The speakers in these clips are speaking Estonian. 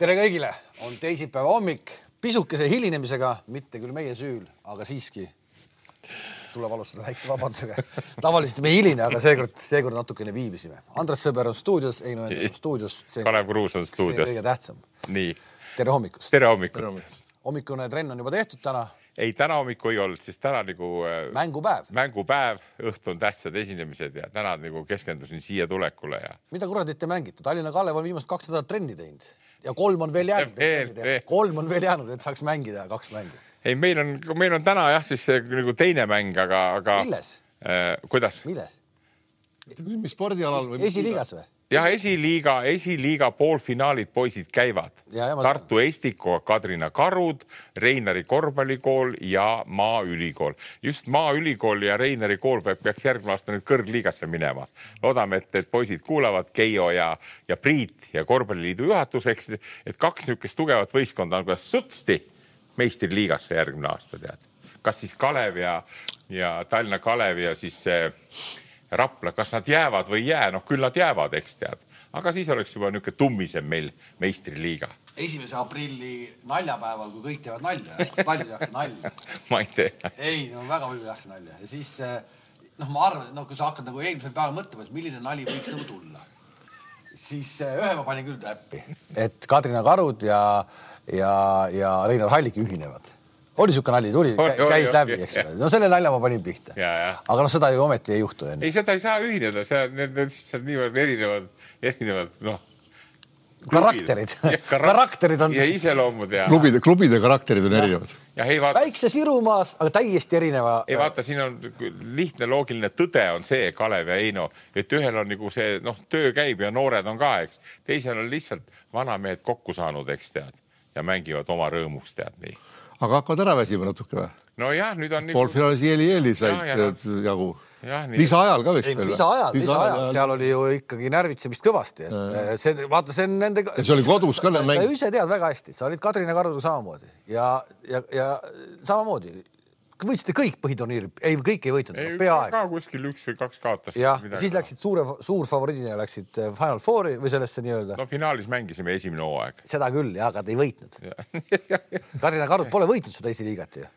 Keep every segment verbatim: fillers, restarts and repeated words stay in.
Tere kõigile, on teisipäeva hommik, pisukese hilinemisega, mitte küll meie süül, aga siiski tuleb alustada väikse vabandusega. Tavaliselt me hiline, aga seekord, seekord natukene viibisime. Andres Sõber on stuudios, Eino Ender on stuudios. See, Kalev Kruus on stuudios. See kõige tähtsam. Nii. Tere hommikust. Tere hommikust. Hommikune trenn on juba tehtud täna. Ei, täna hommiku ei olnud, siis täna nagu... Mängupäev. Mängupäev, õhtu on tähtsad esinemised ja täna nagu keskendusin siia tulekule. Ja... Mida kuradit te mängite? Tallinna Kalev on viimast kaks nädalat trenni teinud. Ja kolm on veel jäänud. Veel, veel. Kolm on veel jäänud, et saaks mängida kaks mängu. Ei, meil on, meil on täna jah, siis nagu teine mäng, aga... aga Milles? Äh, kuidas? Milles? Mis spordialal? Või esiliigas või? Jah, esiliiga, esiliiga poolfinaalid poisid käivad. Ja, ja, ma... Tartu Estiko, Kadrina Karud, Reinari korvpallikool ja Maaülikool. Just Maaülikool ja Reinari kool peaks järgmine aasta nüüd kõrgliigasse minema. Loodame, et, et poisid kuulavad Keijo ja, ja Priit ja korvpalliliidu juhatuseks, et kaks niisugust tugevat võistkonda on kuidas sutsti meistriliigasse järgmine aasta, tead. Kas siis Kalev ja, ja Tallinna Kalev ja siis... Rapla, kas nad jäävad või jää, noh küll nad jäävad, eks tead. Aga siis oleks juba niisugune tummisem meil meistriliiga. Esimese aprilli naljapäeval, kui kõik teevad nalja, hästi palju tehakse nalja. Ma ei tee. Ei, no väga palju tehakse nalja. Ja siis, noh, ma arvan, et no, kui sa hakkad nagu eelmisel päeval mõtlema, et milline nali võiks nagu tulla, siis ühe ma panin küll täppi, et Kadrina Karud ja, ja, ja Reinar Hallik ühinevad. Oli siuke nali, tuli, käis oli, läbi, eks ole. No selle nalja ma panin pihta. Ja, ja. Aga no seda ju ometi ei juhtu enne. Ei, seda ei saa ühineda. Need on siis niivõrd erinevad, erinevad, noh... Karakterid. Ja, karakterid on... Ja iseloomud ja... Klubide, klubide karakterid on ja. Erinevad. Ja ei vaata... Väikses Virumaas, aga täiesti erineva... Ei vaata, siin on lihtne loogiline tõde on see, Kalev ja Eino, et ühel on nagu see, noh, töö käib ja noored on ka, eks. Teisel on lihtsalt vanamehed kokku saanud, eks tead. Ja mängivad oma rõõmuks, tead nii. Aga hakkavad ära väsima natuke või? No jah, nüüd on... Poolfinaalis Jeli-Jeli said ja, ja, jagu. Lisa ajal ka vist veel. Lisa ajal, lisa ajal. Seal oli ju ikkagi närvitsemist kõvasti. Et see, vaata, see on nende... Ja see oli kodus ka. Sa, sa, sa ise tead väga hästi. Sa olid Kadrina Karuga samamoodi. Ja, ja, ja samamoodi. Võitsite kõik põhiturniiri. Ei, kõik ei võitnud. Ei, peaaegu. Ka kuskil üks või kaks kaotas. Ja, siis läksid suure, suur favoriidina läksid Final Fouri või sellesse nii-öelda. No finaalis mängisime esimene hooaeg. Seda küll, ja, aga te ei võitnud. Kadrina Karud pole võitnud seda esiliigat ju.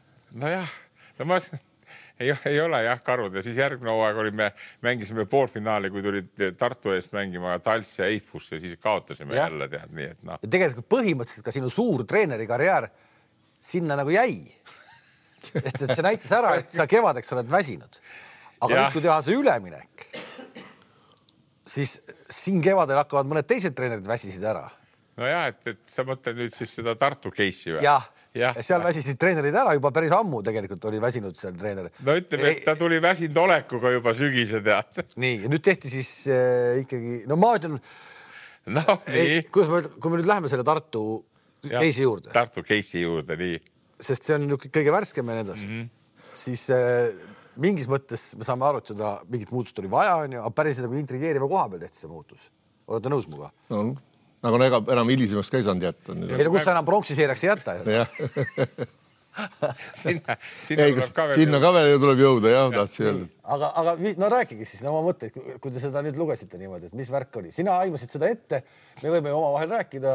No jah, no ma... Ei, ei ole jah Karud ja siis järgmine hooaeg olime, mängisime poolfinaali, kui tulid Tartu eest mängima Tals ja Eifus ja siis kaotasime ja. Jälle tead nii, et noh. Ja tegelikult põhimõtteliselt ka sinu suur treeneri karjäär sinna nagu jäi. Sest et see näitas ära, et sa kevadeks oled väsinud. Aga ja. Nüüd, kui teha see üleminek, siis siin kevadel hakkavad mõned teised treenerid väsisid ära. No jah, et, et sa mõtled nüüd siis seda Tartu case'i või? Jah, ja seal väsisid treenerid ära, juba päris ammu tegelikult oli väsinud seal treener. No ütleme, et ta tuli väsinud olekuga juba sügise tead. Nii, ja nüüd tehti siis äh, ikkagi, no ma ütlen, no, ei, kus me, kui me nüüd läheme selle Tartu ja, case'i juurde. Tartu case'i juurde, nii. Sest see on kõige värskem ja need mm -hmm. siis äh, mingis mõttes me saame aru, et seda mingit muutust oli vaja, on ju, aga päris nagu intrigeeriva koha peal tehti see muutus. Olete nõus muga? No, nagu ega enam hilisemaks ka ei saanud jätta. Ei no kus sa enam pronksiseeriaks ei jätta? sinna, sinna, ei, ka veel sinna ka veel tuleb jõuda, jah, ja. Tahtsi öelda. Aga, aga no rääkige siis oma mõtteid, kui te seda nüüd lugesite niimoodi, et mis värk oli. Sina aimasid seda ette, me võime oma vahel rääkida.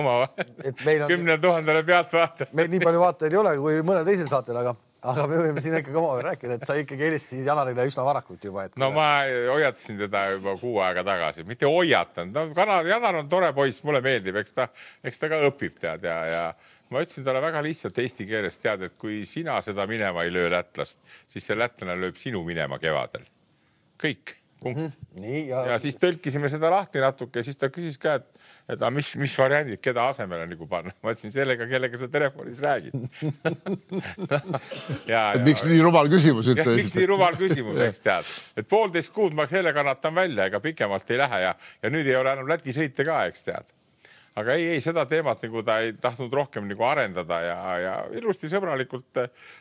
Oma vahel? Kümne tuhandele pealt vaata. Meil nii palju vaatajaid ei ole kui mõnel teisel saatel, aga, aga me võime siin ikkagi oma vahel rääkida, et sa ikkagi helistasid Janarile üsna varakult juba. Et no ma hoiatasin teda juba kuu aega tagasi. Mitte hoiatan. No, Janar on tore poiss, mulle meeldib, eks ta, eks ta ka õpib tead ja, ja ma ütlesin talle väga lihtsalt eesti keeles tead, et kui sina seda minema ei löö lätlast, siis see lätlane lööb sinu minema kevadel. Kõik. Mm -hmm. Nii, ja... ja siis tõlkisime seda lahti natuke ja siis ta küsis ka, et, et a, mis, mis variandid, keda asemele nagu panna. Ma ütlesin sellega, kellega sa telefonis räägid. ja, ja, miks nii rumal küsimus? Ja, miks nii rumal küsimus, eks tead. Et poolteist kuud ma selle kannatan välja, ega pikemalt ei lähe ja, ja nüüd ei ole enam Läti sõite ka, eks tead. Aga ei, ei, seda teemat nagu ta ei tahtnud rohkem nagu arendada ja, ja ilusti sõbralikult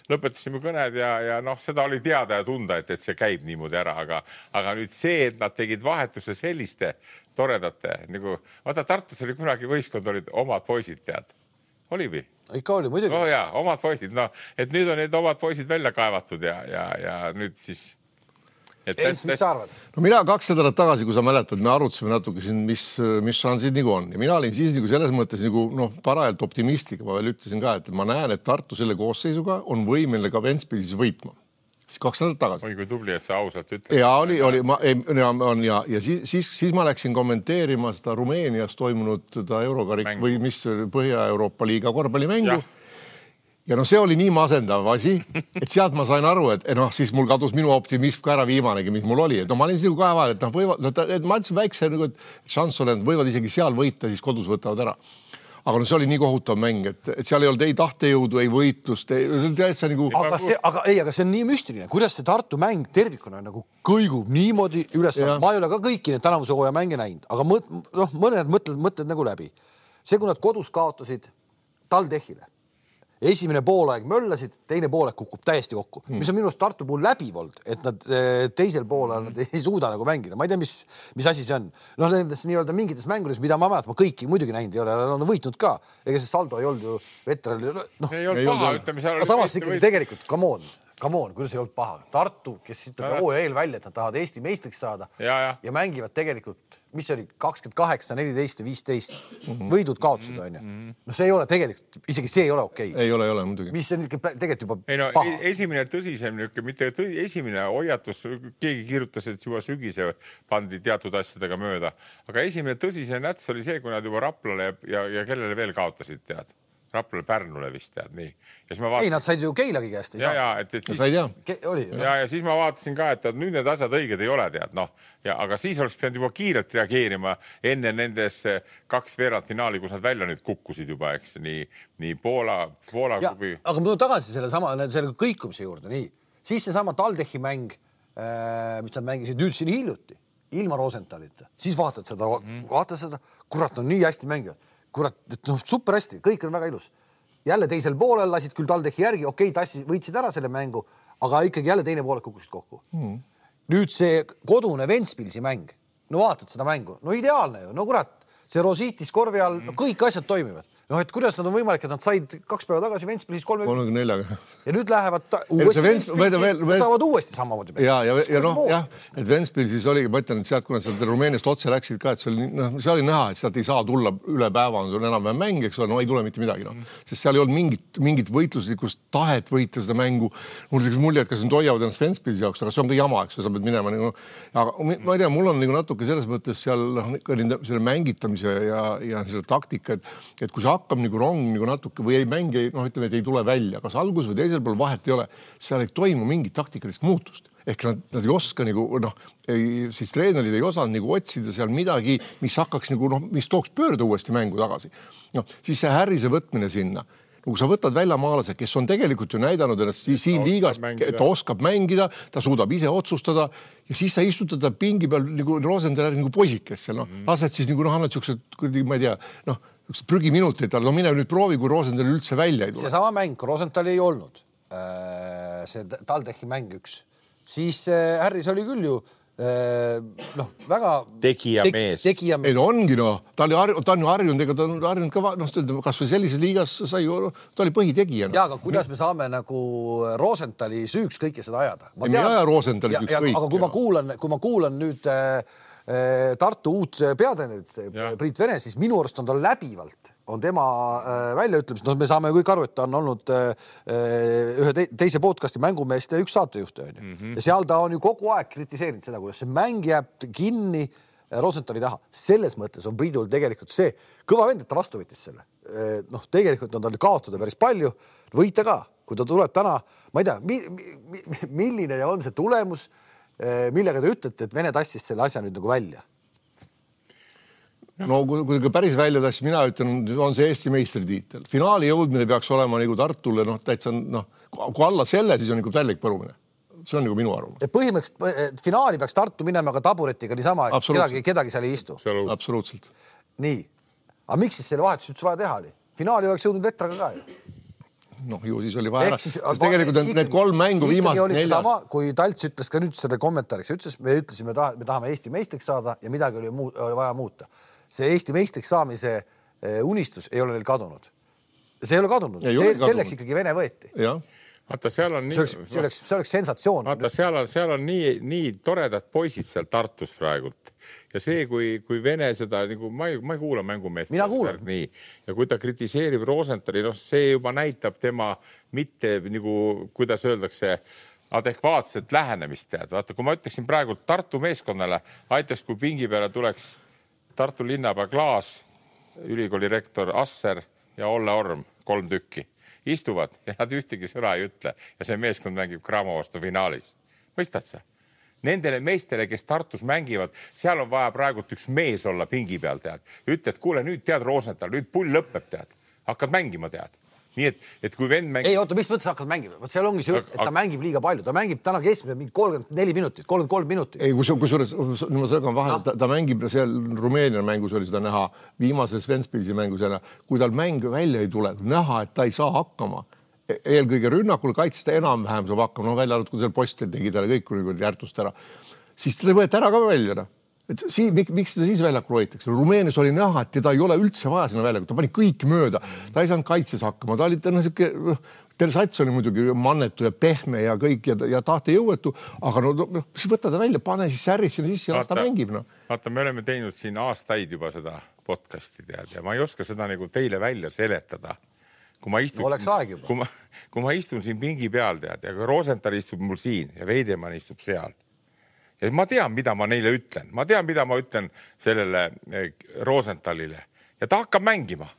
lõpetasime kõned ja, ja noh, seda oli teada ja tunda, et, et see käib niimoodi ära, aga, aga nüüd see, et nad tegid vahetuse selliste toredate, nagu, vaata Tartus oli kunagi võistkond, olid omad poisid, tead. Oli või? Ikka oli, muidugi. Oh jaa, omad poisid, no, et nüüd on need omad poisid välja kaevatud ja, ja, ja nüüd siis Eins, mis sa arvad? No mina kaks nädalat tagasi, kui sa mäletad, me arutasime natuke siin, mis, mis šansid nagu on. Ja mina olin siis nagu selles mõttes nagu, noh, parajalt optimistlik. Ma veel ütlesin ka, et ma näen, et Tartu selle koosseisuga on võimeline ka Ventspilis võitma. Siis kaks nädalat tagasi. Oi, kui tubli, et sa ausalt ütled. Ja oli, oli, ma, ei, on, ja, ja siis, siis, siis ma läksin kommenteerima seda Rumeenias toimunud seda Eurokarik Mängu. Või mis Põhja-Euroopa liiga korvpallimängu. Ja. Ja no see oli nii masendav asi, et sealt ma sain aru, et noh, siis mul kadus minu optimism ka ära viimanegi, mis mul oli. Et no ma olin siis kahe vahel, et noh, võivad, et ma ütlesin väikse, et šanss olen, võivad isegi seal võita, siis kodus võtavad ära. Aga no see oli nii kohutav mäng, et, et seal ei olnud ei tahtejõudu, ei võitlust. Ei, nagu... aga, see, aga, ei, aga see on nii müstiline. Kuidas see Tartu mäng tervikuna nagu kõigub niimoodi üles? Ma ei ole ka kõiki need tänavuse hooaja mänge näinud, aga mõt, noh, mõned mõtled, mõtled nagu läbi. See, kui nad kodus kaotasid TalTechile. Esimene poolaeg möllasid, teine poolaeg kukub täiesti kokku. Hmm. Mis on minu arust Tartu puhul läbiv olnud, et nad teisel poolel nad ei suuda nagu mängida. Ma ei tea, mis, mis asi see on. Noh, nendes nii-öelda mingites mängudes, mida ma mäletan, ma kõiki muidugi näinud ei ole, on võitnud ka. Ega see saldo ei olnud ju veteral. No, ei olnud paha, ütleme, seal oli samas ikkagi võit. Tegelikult, come on, come on, kuidas ei olnud paha. Tartu, kes ütleb hooaja eel välja, et nad tahavad Eesti meistriks saada ja, ja. ja mängivad tegelikult, mis oli kakskümmend kaheksa, neliteist ja viisteist võidud kaotused on ju. No see ei ole tegelikult, isegi see ei ole okei. Ei ole, ei ole muidugi. Mis on tegelikult juba ei no, paha. Esimene tõsisem, mitte tõsi, esimene hoiatus, keegi kirjutas, et juba sügise pandi teatud asjadega mööda. Aga esimene tõsise näts oli see, kui nad juba Raplale ja, ja kellele veel kaotasid, tead. Raplale Pärnule vist tead, nii. Ja ma vaatasin... Ei, nad said ju Keilagi käest. Ja, ja, et, et siis... Ke... Oli, no. ja, ja siis ma vaatasin ka, et nüüd need asjad õiged ei ole, tead, noh. Ja, aga siis oleks pidanud juba kiirelt reageerima enne nendes kaks veerandfinaali, kus nad välja nüüd kukkusid juba, eks, nii, nii Poola, Poola ja, kubi... Aga ma tulen tagasi selle sama, selle kõikumise juurde, nii. Siis see sama TalTechi mäng, äh, mis nad mängisid nüüd siin hiljuti, ilma Rosenthalita. Siis vaatad seda, mm-hmm. vaatad seda, kurat, on nii hästi mängivad. Kurat, no super hästi, kõik on väga ilus. Jälle teisel poolel lasid küll TalTechi järgi, okei, tassi võitsid ära selle mängu, aga ikkagi jälle teine poolel kukkusid kokku. Mm. Nüüd see kodune Ventspilsi mäng, no vaatad seda mängu, no ideaalne ju, no kurat, see Rosiitis korvi all, no kõik asjad toimivad. No et kuidas nad on võimalik, et nad said kaks päeva tagasi Ventspilis kolmekümne neljaga. Ja nüüd lähevad ta, uuesti Ventspilsi, Vents... saavad uuesti samamoodi. Ja, ja, ja noh, jah, et Ventspilsis oli, ma ütlen, et sealt, kuna sealt Rumeeniast otse läksid ka, et see oli, no, see oli näha, et sealt ei saa tulla üle päeva, on sul enam-vähem mäng, eks ole, no ei tule mitte midagi, no. Sest seal ei olnud mingit, mingit võitluslikust tahet võita seda mängu. Mul on mulje, et kas nad hoiavad ennast Ventspilsi jaoks, aga see on ka jama, eks sa pead minema. No, aga ma ei tea, mul on nagu natuke selles mõttes seal selle mängitamise ja, ja selle taktika, et, et kui sa hakkab nagu rong nagu natuke või ei mängi, noh, ütleme, et ei tule välja, kas algus või teisel pool vahet ei ole, seal ei toimu mingit taktikalist muutust. Ehk nad, nad ei oska nagu, noh, ei, siis treenerid ei osanud nagu otsida seal midagi, mis hakkaks nagu, noh, mis tooks pöörda uuesti mängu tagasi. No, siis see Harrise võtmine sinna. Kui sa võtad väljamaalase, kes on tegelikult ju näidanud ennast siin liigas, et ta oskab mängida, ta suudab ise otsustada ja siis sa istutad ta pingi peal nagu Rosenthal nagu poisikesse, noh, lased siis nagu, noh, annad siuksed, ma ei tea, noh, üks prügiminutit, no mine nüüd proovi, kui Rosenthal üldse välja ei tule. See sama mäng, kui Rosenthal ei olnud, see TalTechi mäng üks, siis Harris oli küll ju noh, väga tegija mees. Tegija mees. Ei, no ongi, no. Ta oli har- ta on ju harjunud, ega ta on harjunud ka, noh, kas või sellises liigas sai ju, ta oli põhitegija. No. Ja, aga kuidas me saame nagu Rosenthali süüks kõike seda ajada? Ma ei aja Rosenthali süüks kõik. Aga kui ma kuulan, kui ma kuulan nüüd äh, Tartu uut peatreenerit, Priit Vene, siis minu arust on ta läbivalt, on tema äh, väljaütlemist, no me saame kõik aru, et ta on olnud äh, ühe te teise podcasti mängumeeste üks saatejuht, on ju. Mm-hmm. Ja seal ta on ju kogu aeg kritiseerinud seda, kuidas see mäng jääb kinni Rosenthali taha. Selles mõttes on Priidul tegelikult see kõva vend, et ta vastu võttis selle. Noh, tegelikult on tal kaotada päris palju, võita ka, kui ta tuleb täna, ma ei tea, mi mi milline on see tulemus, millega te ütlete, et Vene tassis selle asja nüüd nagu välja? No kui, kui päris välja tassis, mina ütlen, on see Eesti meistritiitel. Finaali jõudmine peaks olema nagu Tartule, noh, täitsa, noh, kui alla selle, siis on nagu tällik põrumine. See on nagu minu arvamus. Et põhimõtteliselt finaali peaks Tartu minema ka taburetiga niisama, et kedagi, kedagi seal ei istu. Absoluutselt. Nii. Aga miks siis selle vahetus üldse vaja teha oli? Finaali oleks jõudnud Vetraga ka ju. Noh, ju siis oli vaja. Siis, tegelikult on need kolm mängu viimast neljas. Sama, kui Talts ütles ka nüüd selle kommentaariks, ütles, me ütlesime, me tahame Eesti meistriks saada ja midagi oli, muu, oli vaja muuta. See Eesti meistriks saamise unistus ei ole neil kadunud. See ei ole kadunud. Ei see, selleks kadunud. Ikkagi Vene võeti. Ja. vaata, seal on nii... See oleks, see oleks, see oleks sensatsioon. Vaata, seal on, seal on nii, nii toredad poisid seal Tartus praegult. Ja see, kui, kui Vene seda, nagu, ma ei, ma ei kuula mängumeest. Mina kuulan. Nii. Ja kui ta kritiseerib Rosenthali, noh, see juba näitab tema mitte, nagu, kuidas öeldakse, adekvaatset lähenemist tead. Vaata, kui ma ütleksin praegu Tartu meeskonnale, aitaks, kui pingi peale tuleks Tartu linnapea Klaas, ülikooli rektor Asser ja Olle Orm, kolm tükki, istuvad ja nad ühtegi sõna ei ütle ja see meeskond mängib Cramo vastu finaalis. Mõistad sa? Nendele meestele, kes Tartus mängivad, seal on vaja praegult üks mees olla pingi peal, tead. Ütled, kuule, nüüd tead Rosenthal, nüüd pull lõpeb, tead. Hakkad mängima, tead. Nii et, et kui vend mängib... Ei, oota, mis mõttes hakkad mängima? Võt seal ongi see, et ta mängib liiga palju. Ta mängib täna keskmiselt mingi kolmkümmend neli minutit, kolmkümmend kolm minutit. Ei, kus, kusjuures, ma sõgan vahel, no. ta, ta mängib seal Rumeenia mängus oli seda näha, viimases Ventspilsi mängus, kui tal mäng välja ei tule, näha, et ta ei saa hakkama. Eelkõige rünnakul kaitses ta enam-vähem saab hakkama, no välja arvud, kui seal postil tegi talle kõik kui järtust ära. Siis ta võeti ära ka välja. No. Et sii, mik, miks seda siis väljakul hoitakse? Rumeenias oli näha, et teda ei ole üldse vaja sinna väljakul. Ta pani kõik mööda. Ta ei saanud kaitses hakkama. Ta oli ta, no, siuke, Tersats oli muidugi mannetu ja pehme ja kõik ja, ja tahte jõuetu, aga no, no siis võtta ta välja, pane siis särris sinna sisse ja las ta mängib. No. Vaata, me oleme teinud siin aastaid juba seda podcasti tead ja ma ei oska seda nagu teile välja seletada. Kui ma istun, no, oleks aeg juba. Kui ma, kui ma istun siin pingi peal tead ja kui Rosenthal istub mul siin ja Veidemann istub seal. Ja ma tean, mida ma neile ütlen. Ma tean, mida ma ütlen sellele Rosenthalile. Ja ta hakkab mängima.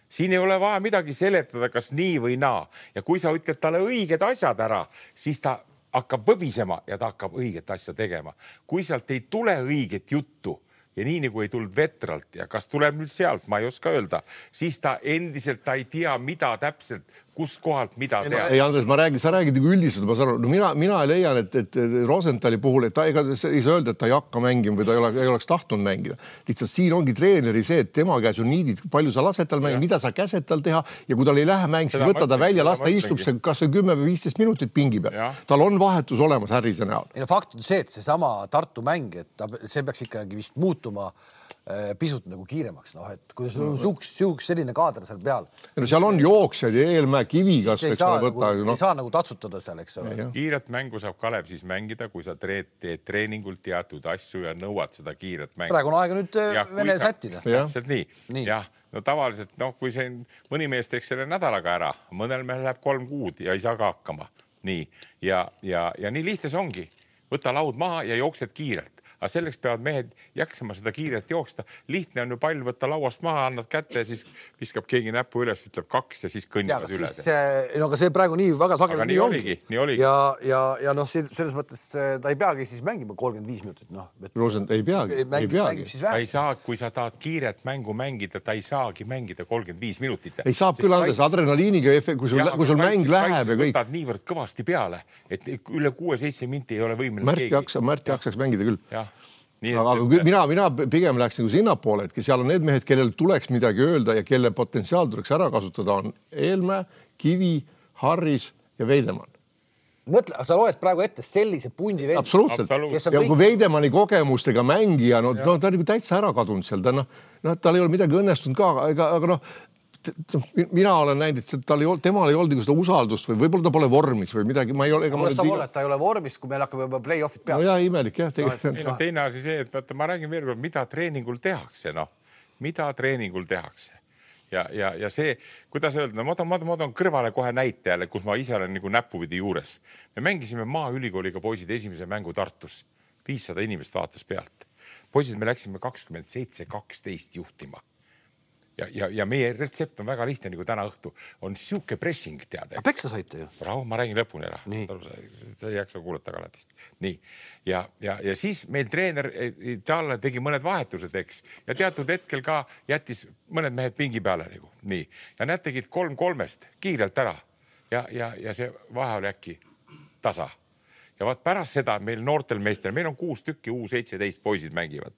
Siin ei ole vaja midagi seletada, kas nii või naa. Ja kui sa ütled talle õiged asjad ära, siis ta hakkab võbisema ja ta hakkab õiget asja tegema. Kui sealt ei tule õiget juttu ja nii nagu ei tulnud vetralt ja kas tuleb nüüd sealt, ma ei oska öelda, siis ta endiselt ta ei tea, mida täpselt kus kohalt mida teha. Ei, Andres, ma räägin, sa räägid nagu üldiselt, ma saan aru, no mina, mina leian, et, et Rosenthali puhul, et ta ega ei saa öelda, et ta ei hakka mängima või ta ei, ole, ei oleks tahtnud mängida. Lihtsalt siin ongi treeneri see, et tema käes on niidid, palju sa lased tal mängida, mida sa käsed tal teha ja kui tal ei lähe mäng, siis võtta ta välja, las ta istub see, kas see kümme või viisteist minutit pingi peal. Ja. Tal on vahetus olemas Härrise näol. Ei, no fakt on see, et see sama Tartu mäng, et ta, see peaks ikkagi vist muutuma pisut nagu kiiremaks, noh, et kui sul on suuks, suuks selline kaader seal peal. No seal on jooksjad ja Eelmäe kivi, kas ei saa, võtta, nagu, no. ei saa nagu tatsutada seal, eks ole. Kiiret mängu saab Kalev siis mängida, kui sa teed treeningult teatud asju ja nõuad seda kiiret mängu. Praegu on aega nüüd ja, Vene sättida. Täpselt nii. nii. Jah, no tavaliselt, noh, kui see mõni mees teeks selle nädalaga ära, mõnel mehel läheb kolm kuud ja ei saa ka hakkama. Nii. Ja, ja, ja nii lihtne see ongi. Võta laud maha ja jooksed kiirelt. Aga selleks peavad mehed jaksama seda kiirelt jooksta. Lihtne on ju pall võtta lauast maha, annad kätte ja siis viskab keegi näpu üles, ütleb kaks ja siis kõnnivad üle. No aga see praegu nii väga sageli nii oligi. Nii oligi. Ja, ja, ja noh, selles mõttes ta ei peagi siis mängima kolmkümmend viis minutit. No, Rosent ei peagi. Mängib, ei peagi. Ta ei saa, kui sa tahad kiiret mängu mängida, ta ei saagi mängida kolmkümmend viis minutit. Ei saab küll andes adrenaliiniga, kui sul, ja, kui sul mäng läheb ja kõik. Võtad niivõrd kõvasti peale, et üle kuue-seitse minti ei ole võimeline Märt keegi. Jaksa, Märt jaksaks mängida küll. Ja. Nii, aga et... mina, mina pigem läheks nagu sinnapoole, et seal on need mehed, kellel tuleks midagi öelda ja kelle potentsiaal tuleks ära kasutada on Eelmäe, Kivi, Harris ja Veidemann. Mõtle, sa loed praegu ette sellise pundi vendi. Absoluutselt. Ja kõik... kui Veidemanni kogemustega mängija, no, no ta on nagu täitsa ära kadunud seal. Ta, no, no, tal ei ole midagi õnnestunud ka, aga, aga noh, mina olen näinud, et tal ei olnud, temal ei olnud seda usaldust või võib-olla ta pole vormis või midagi. Ma ei ole, ega ma saab olla, et ta ei ole vormis, kui meil hakkab juba play-offid peale. No jah, imelik jah. Tegelikult. No, teine asi see, et vaata, ma räägin veel kord, mida treeningul tehakse, noh. Mida treeningul tehakse. Ja, ja, ja see, kuidas öelda, no, ma toon, ma toon kõrvale kohe näitajale, kus ma ise olen nagu näpuvidi juures. Me mängisime Maaülikooliga poisid esimese mängu Tartus. viissada inimest vaatas pealt. Poisid, me läksime kakskümmend seitse kaksteist juhtima. Ja, ja, ja meie retsept on väga lihtne, nagu täna õhtu on siuke pressing teada. Peksa saite ju. Rahu, ma räägin lõpuni ära. Sa ei jaksa kuulata kalatist. Nii. Ja, ja, ja siis meil treener talle tegi mõned vahetused, eks. Ja teatud hetkel ka jättis mõned mehed pingi peale. Nagu. Nii. Ja nad tegid kolm kolmest kiirelt ära. Ja, ja, ja see vahe oli äkki tasa. Ja vaat pärast seda meil noortel meestel, meil on kuus tükki, U seitseteist poisid mängivad.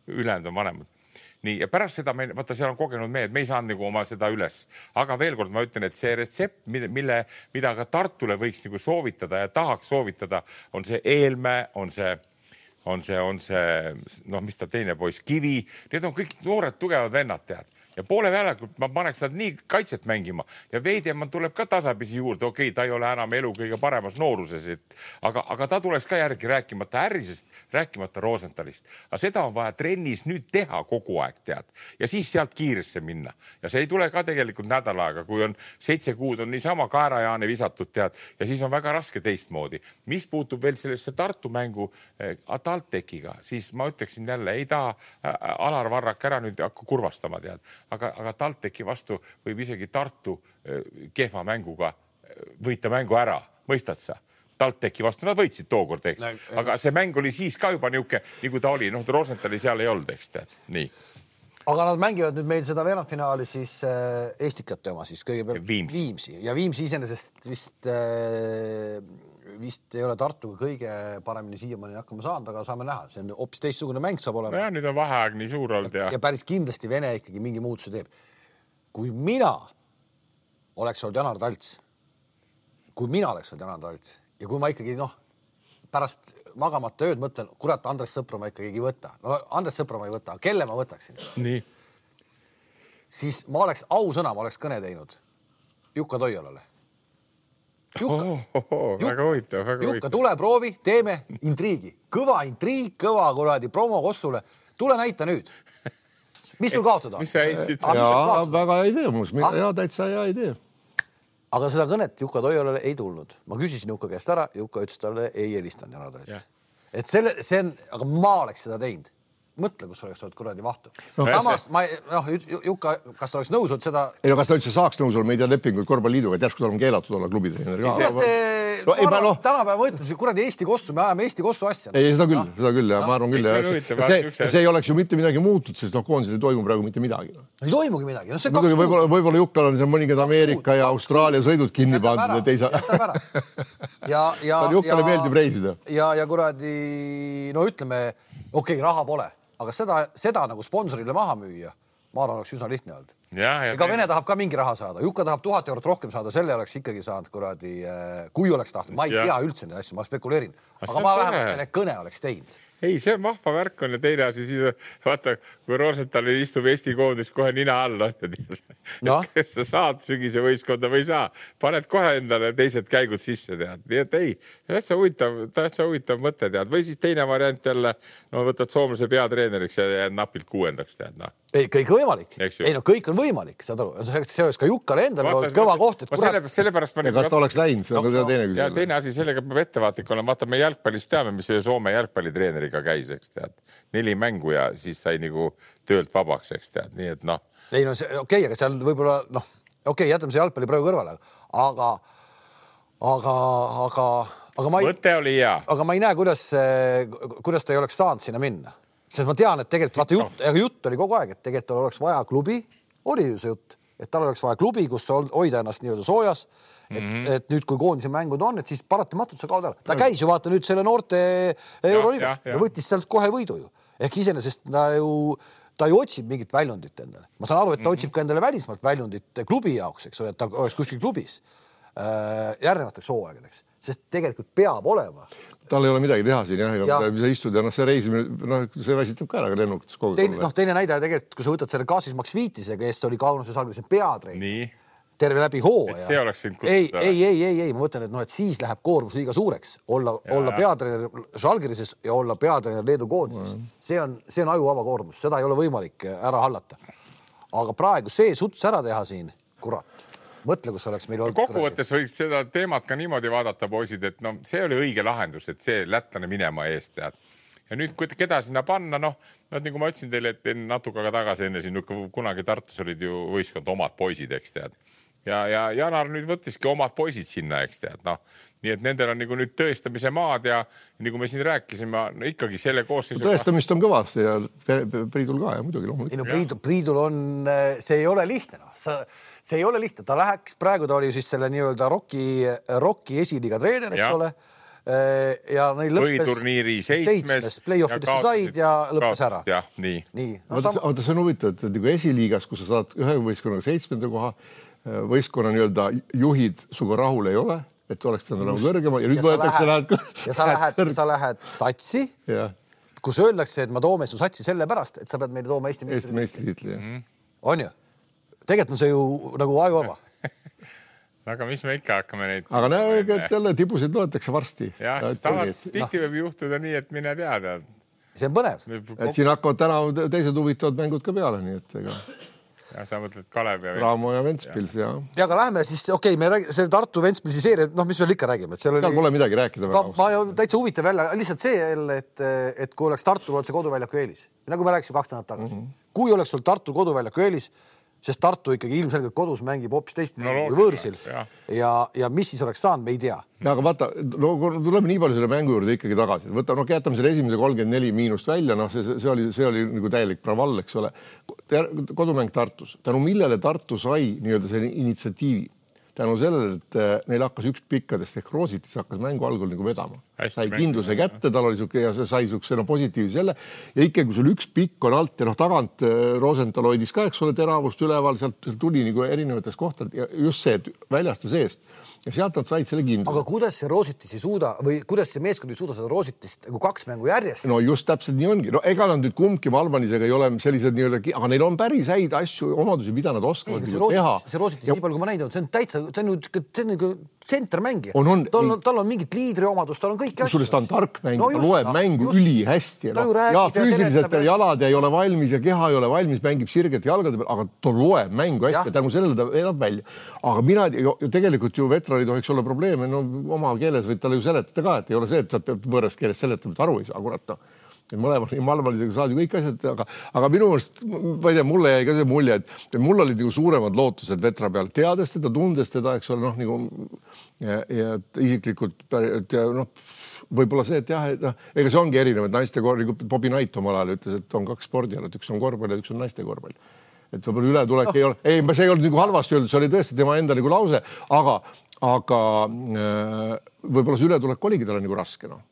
Ülejäänud on vanemad. Nii, ja pärast seda, me, vaata, seal on kogenud mehed, me ei saanud nagu oma seda üles. Aga veel kord ma ütlen, et see retsept, mille, mida ka Tartule võiks nagu soovitada ja tahaks soovitada, on see Eelmäe, on see, on see, on see, noh, mis ta teine poiss, Kivi. Need on kõik noored tugevad vennad, tead. ja poole väljakult ma paneks nad nii kaitset mängima ja Veidemann tuleb ka tasapisi juurde. Okei, ta ei ole enam elu kõige paremas nooruses, et, aga, aga ta tuleks ka järgi rääkimata Ärrisest, rääkimata Rosenthalist. Aga seda on vaja trennis nüüd teha kogu aeg, tead. Ja siis sealt kiiresse minna. Ja see ei tule ka tegelikult nädal aega, kui on seitse kuud on niisama kaerajaane visatud, tead, ja siis on väga raske teistmoodi. Mis puutub veel sellesse Tartu mängu eh, TalTechiga, siis ma ütleksin jälle, ei taha Alar Varrak ära nüüd hakka kurvastama, tead. Aga, aga TalTechi vastu võib isegi Tartu eh, kehva mänguga võita mängu ära, mõistad sa? TalTechi vastu nad võitsid tookord, eks. Aga see mäng oli siis ka juba niuke, nagu ta oli, noh, Rosenthali seal ei olnud, eks tead. Nii. Aga nad mängivad nüüd meil seda veerandfinaali siis äh, Estikate oma siis kõigepealt Viimsi. Viimsi. Ja Viimsi iseenesest vist, äh, vist ei ole Tartuga kõige paremini siiamaani hakkama saanud, aga saame näha. See on hoopis teistsugune mäng saab olema. Ja nüüd on vaheaeg nii suur olnud. Ja, ja päris kindlasti Vene ikkagi mingi muutuse teeb. Kui mina oleks olnud Janar Talts, kui mina oleks olnud Janar Talts ja kui ma ikkagi, noh, pärast magamata ööd mõtlen, kurat, Andres Sõpra ma ikkagi ei võta. No Andres Sõpra ma ei võta, kelle ma võtaksin? Nii. Siis ma oleks, ausõna, ma oleks kõne teinud Jukka Toiolale. Jukka, oh, oh, oh, väga huvitav, väga Jukka, huvitav. tule proovi, teeme intriigi. Kõva intriig, kõva kuradi promo Kossule. Tule näita nüüd. Mis sul kaotada? Mis sa eessid? Jaa, väga hea idee muus. Jaa, täitsa hea idee. Aga seda kõnet Jukka Toiolale ei tulnud. Ma küsisin Jukka käest ära, Jukka ütles talle ei helistanud Janar Talts. Et selle, see on, aga ma oleks seda teinud. Mõtle, kus oleks olnud kuradi vahtu. No, samas, ma, noh, Jukka, kas ta oleks nõus olnud seda... Ei, no kas ta üldse saaks nõus olla, me ei tea lepinguid korvpalliiduga, et järsku tal on keelatud olla klubitreener. No, no, ma arvan, no. Tänapäeva mõtlesin, kuradi Eesti Kossu, me ajame Eesti Kossu asja. Ei, seda küll, no. seda küll, ja no. ma arvan küll. Ja see, see, see ei oleks ju mitte midagi muutud, sest noh, koondisel ei toimu praegu mitte midagi. No. Ei toimugi midagi. No, see Muidugi, võib-olla, võib-olla Jukkal on seal mõningad Ameerika ja Austraalia sõidud kinni pandud, et ei saa... Jätab ära. Ja, ja, Jukkale meeldib reisida. Ja, ja kuradi, no ütleme, okei, okay, raha pole. Aga seda, seda nagu sponsorile maha müüa, ma arvan, oleks üsna lihtne olnud. Ja, ja Ega Vene tahab ka mingi raha saada. Jukka tahab tuhat eurot rohkem saada, selle oleks ikkagi saanud kuradi, kui oleks tahtnud. Ma ei ja. tea üldse neid asju, ma spekuleerin. Aga, aga ma vähemalt selle kõne oleks teinud. Ei, see on vahva värk on ja teine asi, siis vaata, kui Rosenthal istub Eesti koondis kohe nina all, no? Kes sa saad sügise võistkonda või saa, paned kohe endale teised käigud sisse, tead. Nii et ei, täitsa huvitav, täitsa huvitav mõte, tead. Või siis teine variant jälle, no võtad soomlase peatreeneriks ja jääd napilt kuuendaks, tead. No. Ei, kõik on võimalik. Ei, no kõik on võimalik, saad aru. See oleks ka Jukkale endale olnud kõva koht, et kurat... Selle pärast ma... Kas ta oleks läinud, see on no, teine küsimus. Ja teine asi, sellega peab ettevaatik olema. Vaata, me jalgpallis teame, mis Soome jalgpallitreeneriga käis, eks tead. Neli mängu ja siis sai nagu töölt vabaks, eks tead. Nii et noh. Ei, no see, okei, okay, aga seal võib-olla, noh, okei, okay, jätame see jalgpalli praegu kõrvale, aga, aga, aga, aga ma ei... Mõte oli hea. Aga ma ei näe, kuidas, kuidas ta ei oleks saanud sinna minna. Sest ma tean, et tegelikult, vaata jutt, aga jutt oli kogu aeg, et tegelikult oleks vaja klubi, oli ju see jutt, et tal oleks vaja klubi, kus hoida ennast nii-öelda soojas, et, mm-hmm. et nüüd, kui koondise mängud on, et siis paratamatult sa kaod ära. Ta käis ju vaata nüüd selle noorte Euroliigas ja, ja, ja võttis sealt kohe võidu ju. Ehk iseenesest ta ju, ta ju otsib mingit väljundit endale. Ma saan aru, et ta mm-hmm. otsib ka endale välismaalt väljundit klubi jaoks, eks ole, et ta oleks kuskil klubis äh, järgnevateks hooaegadeks, sest tegelikult peab olema. Tal ei ole midagi teha siin, jah, ja sa istud ja noh, see reisimine, noh, see väsitab ka ära lennuks kogu teine, noh, teine näide tegelikult, kui sa võtad selle Kaasis Maksviitise, kes oli Kaunuse Žalgirise peatrein, terve läbi hooaja. See oleks võinud ei, ei, ei, ei, ei, ma mõtlen, et noh, et siis läheb koormus liiga suureks olla, olla peatreener Žalgirises ja olla peatreener Leedu koondises. Mm. See on, see on ajuvaba koormus, seda ei ole võimalik ära hallata. Aga praegu see suts ära teha siin, kurat. Mõtle, kus oleks meil olnud. Kokkuvõttes võiks seda teemat ka niimoodi vaadata, poisid, et no, see oli õige lahendus, et see lätlane minema eest tead. Ja nüüd, kui keda sinna panna, noh, no, nagu ma ütlesin teile, et natuke aga tagasi enne siin, kunagi Tartus olid ju võistkond omad poisid, eks tead. Ja, ja Janar nüüd võttiski omad poisid sinna, eks tead, noh. Nii et nendel on nagu nüüd tõestamise maad ja nagu me siin rääkisime, no ikkagi selle koosseisu... Tõestamist on kõvasti ja Priidul ka ja muidugi loomulikult. No, Priidul, Priidul on, see ei ole lihtne, noh. Sa, see ei ole lihtne. Ta läheks, praegu ta oli siis selle nii-öelda Rocki, Rocki esiliiga treener, eks ja. ole. Ja neil lõppes... Põhiturniiri seitsmes. Play-offidesse said ja lõppes ära. Ja, nii. nii. No, sam... Aga see on huvitav, et nagu esiliigas, kus sa saad ühe võistkonnaga seitsmenda koha, võistkonna nii-öelda juhid suga rahul ei ole, et oleks ta nagu kõrgemal ja nüüd võetakse lähed... Ja sa lähed, sa lähed satsi, ja. kus öeldakse, et ma toome su satsi selle pärast, et sa pead meile tooma Eesti meistritiitli. On ju? tegelikult on see ju nagu ajuvaba. Aga mis me ikka hakkame neid... Aga näe, et jälle tibusid loetakse varsti. Jah, tihti võib juhtuda nii, et mine teada. See on põnev. Et siin hakkavad täna teised huvitavad mängud ka peale, nii et ega... Ja sa mõtled Kalev ja Raamo ja Ventspils, jah. Ja, aga lähme siis, okei, me räägime, see Tartu Ventspilsi seeria, noh, mis veel ikka räägime, et seal oli... Seal pole midagi rääkida. Ka, ma ju täitsa huvitav välja, lihtsalt see jälle, et, et kui oleks Tartu otse koduväljaku eelis, nagu me rääkisime kaks nädalat tagasi, mm -hmm. kui oleks sul Tartu koduväljaku eelis, sest Tartu ikkagi ilmselgelt kodus mängib hoopis teist no, kui võõrsil ja. Ja, ja mis siis oleks saanud, me ei tea. Ja, aga vaata, no, tuleme nii palju selle mängu juurde ikkagi tagasi. Võta, no, jätame selle esimese kolmkümmend neli miinust välja, noh, see, see oli, see oli nagu täielik pravall, eks ole. Kodumäng Tartus. Tänu millele Tartu sai nii-öelda selle initsiatiivi? Tänu sellele, et neil hakkas üks pikkadest ehk Roositis hakkas mängu algul nagu vedama. Sai kindluse kätte, tal oli suke, ja see sai sukse no, positiivse selle. Ja ikka, kui sul üks pikk on alt ja noh, tagant Rosenthal hoidis ka, eks ole, teravust üleval, sealt tuli nagu erinevatest kohtadest ja just see, et väljasta seest. Ja sealt nad said selle kindluse. Aga kuidas see Roositis ei suuda või kuidas see meeskond ei suuda seda Roositist nagu kaks mängu järjest? No just täpselt nii ongi. No ega nad nüüd kumbki Valbanisega ei ole sellised nii-öelda, aga neil on päris häid asju, omadusi, mida nad oskavad ei, see Roositis, teha. See Roositis ja... nii palju, kui ma näinud on, see on täitsa, see on nagu tsentermängija. On, on, tal, on, tal on mingit liidriomadust, tal on kõik asju. Ta on tark mäng, no, ta loeb no, mängu just, üli hästi. No, ja füüsiliselt ja jalad ei ole valmis ja keha ei ole valmis, mängib sirgete jalgade peal, aga ta loeb mängu hästi ja tänu sellele ta elab välja. Aga mina tegelikult ju vetrani tohiks olla probleeme, no oma keeles võid talle ju seletada ka, et ei ole see, et sa pead võõrast keeles seletama, et aru ei saa, kurat no. Mõlemad nii malvalisega saad ju kõik asjad, aga, aga minu mõelest, ma ei tea, mulle jäi ka see mulje, et mul olid nagu suuremad lootused vetra peal, teades teda, tundes teda, eks ole, noh, nagu ja, ja isiklikult, et ja, noh, võib-olla see, et jah, et noh, ega see ongi erinev, et naiste korvpall, nagu Bobby Knight omal ajal ütles, et on kaks spordialat, üks on korvpall ja üks on naiste korvpall. Et võib-olla ületulek no. ei ole, ei, see ei olnud nagu halvasti öeldud, see oli tõesti tema enda nagu lause, aga, aga äh, võib-olla see ületulek oligi talle nagu raske, noh.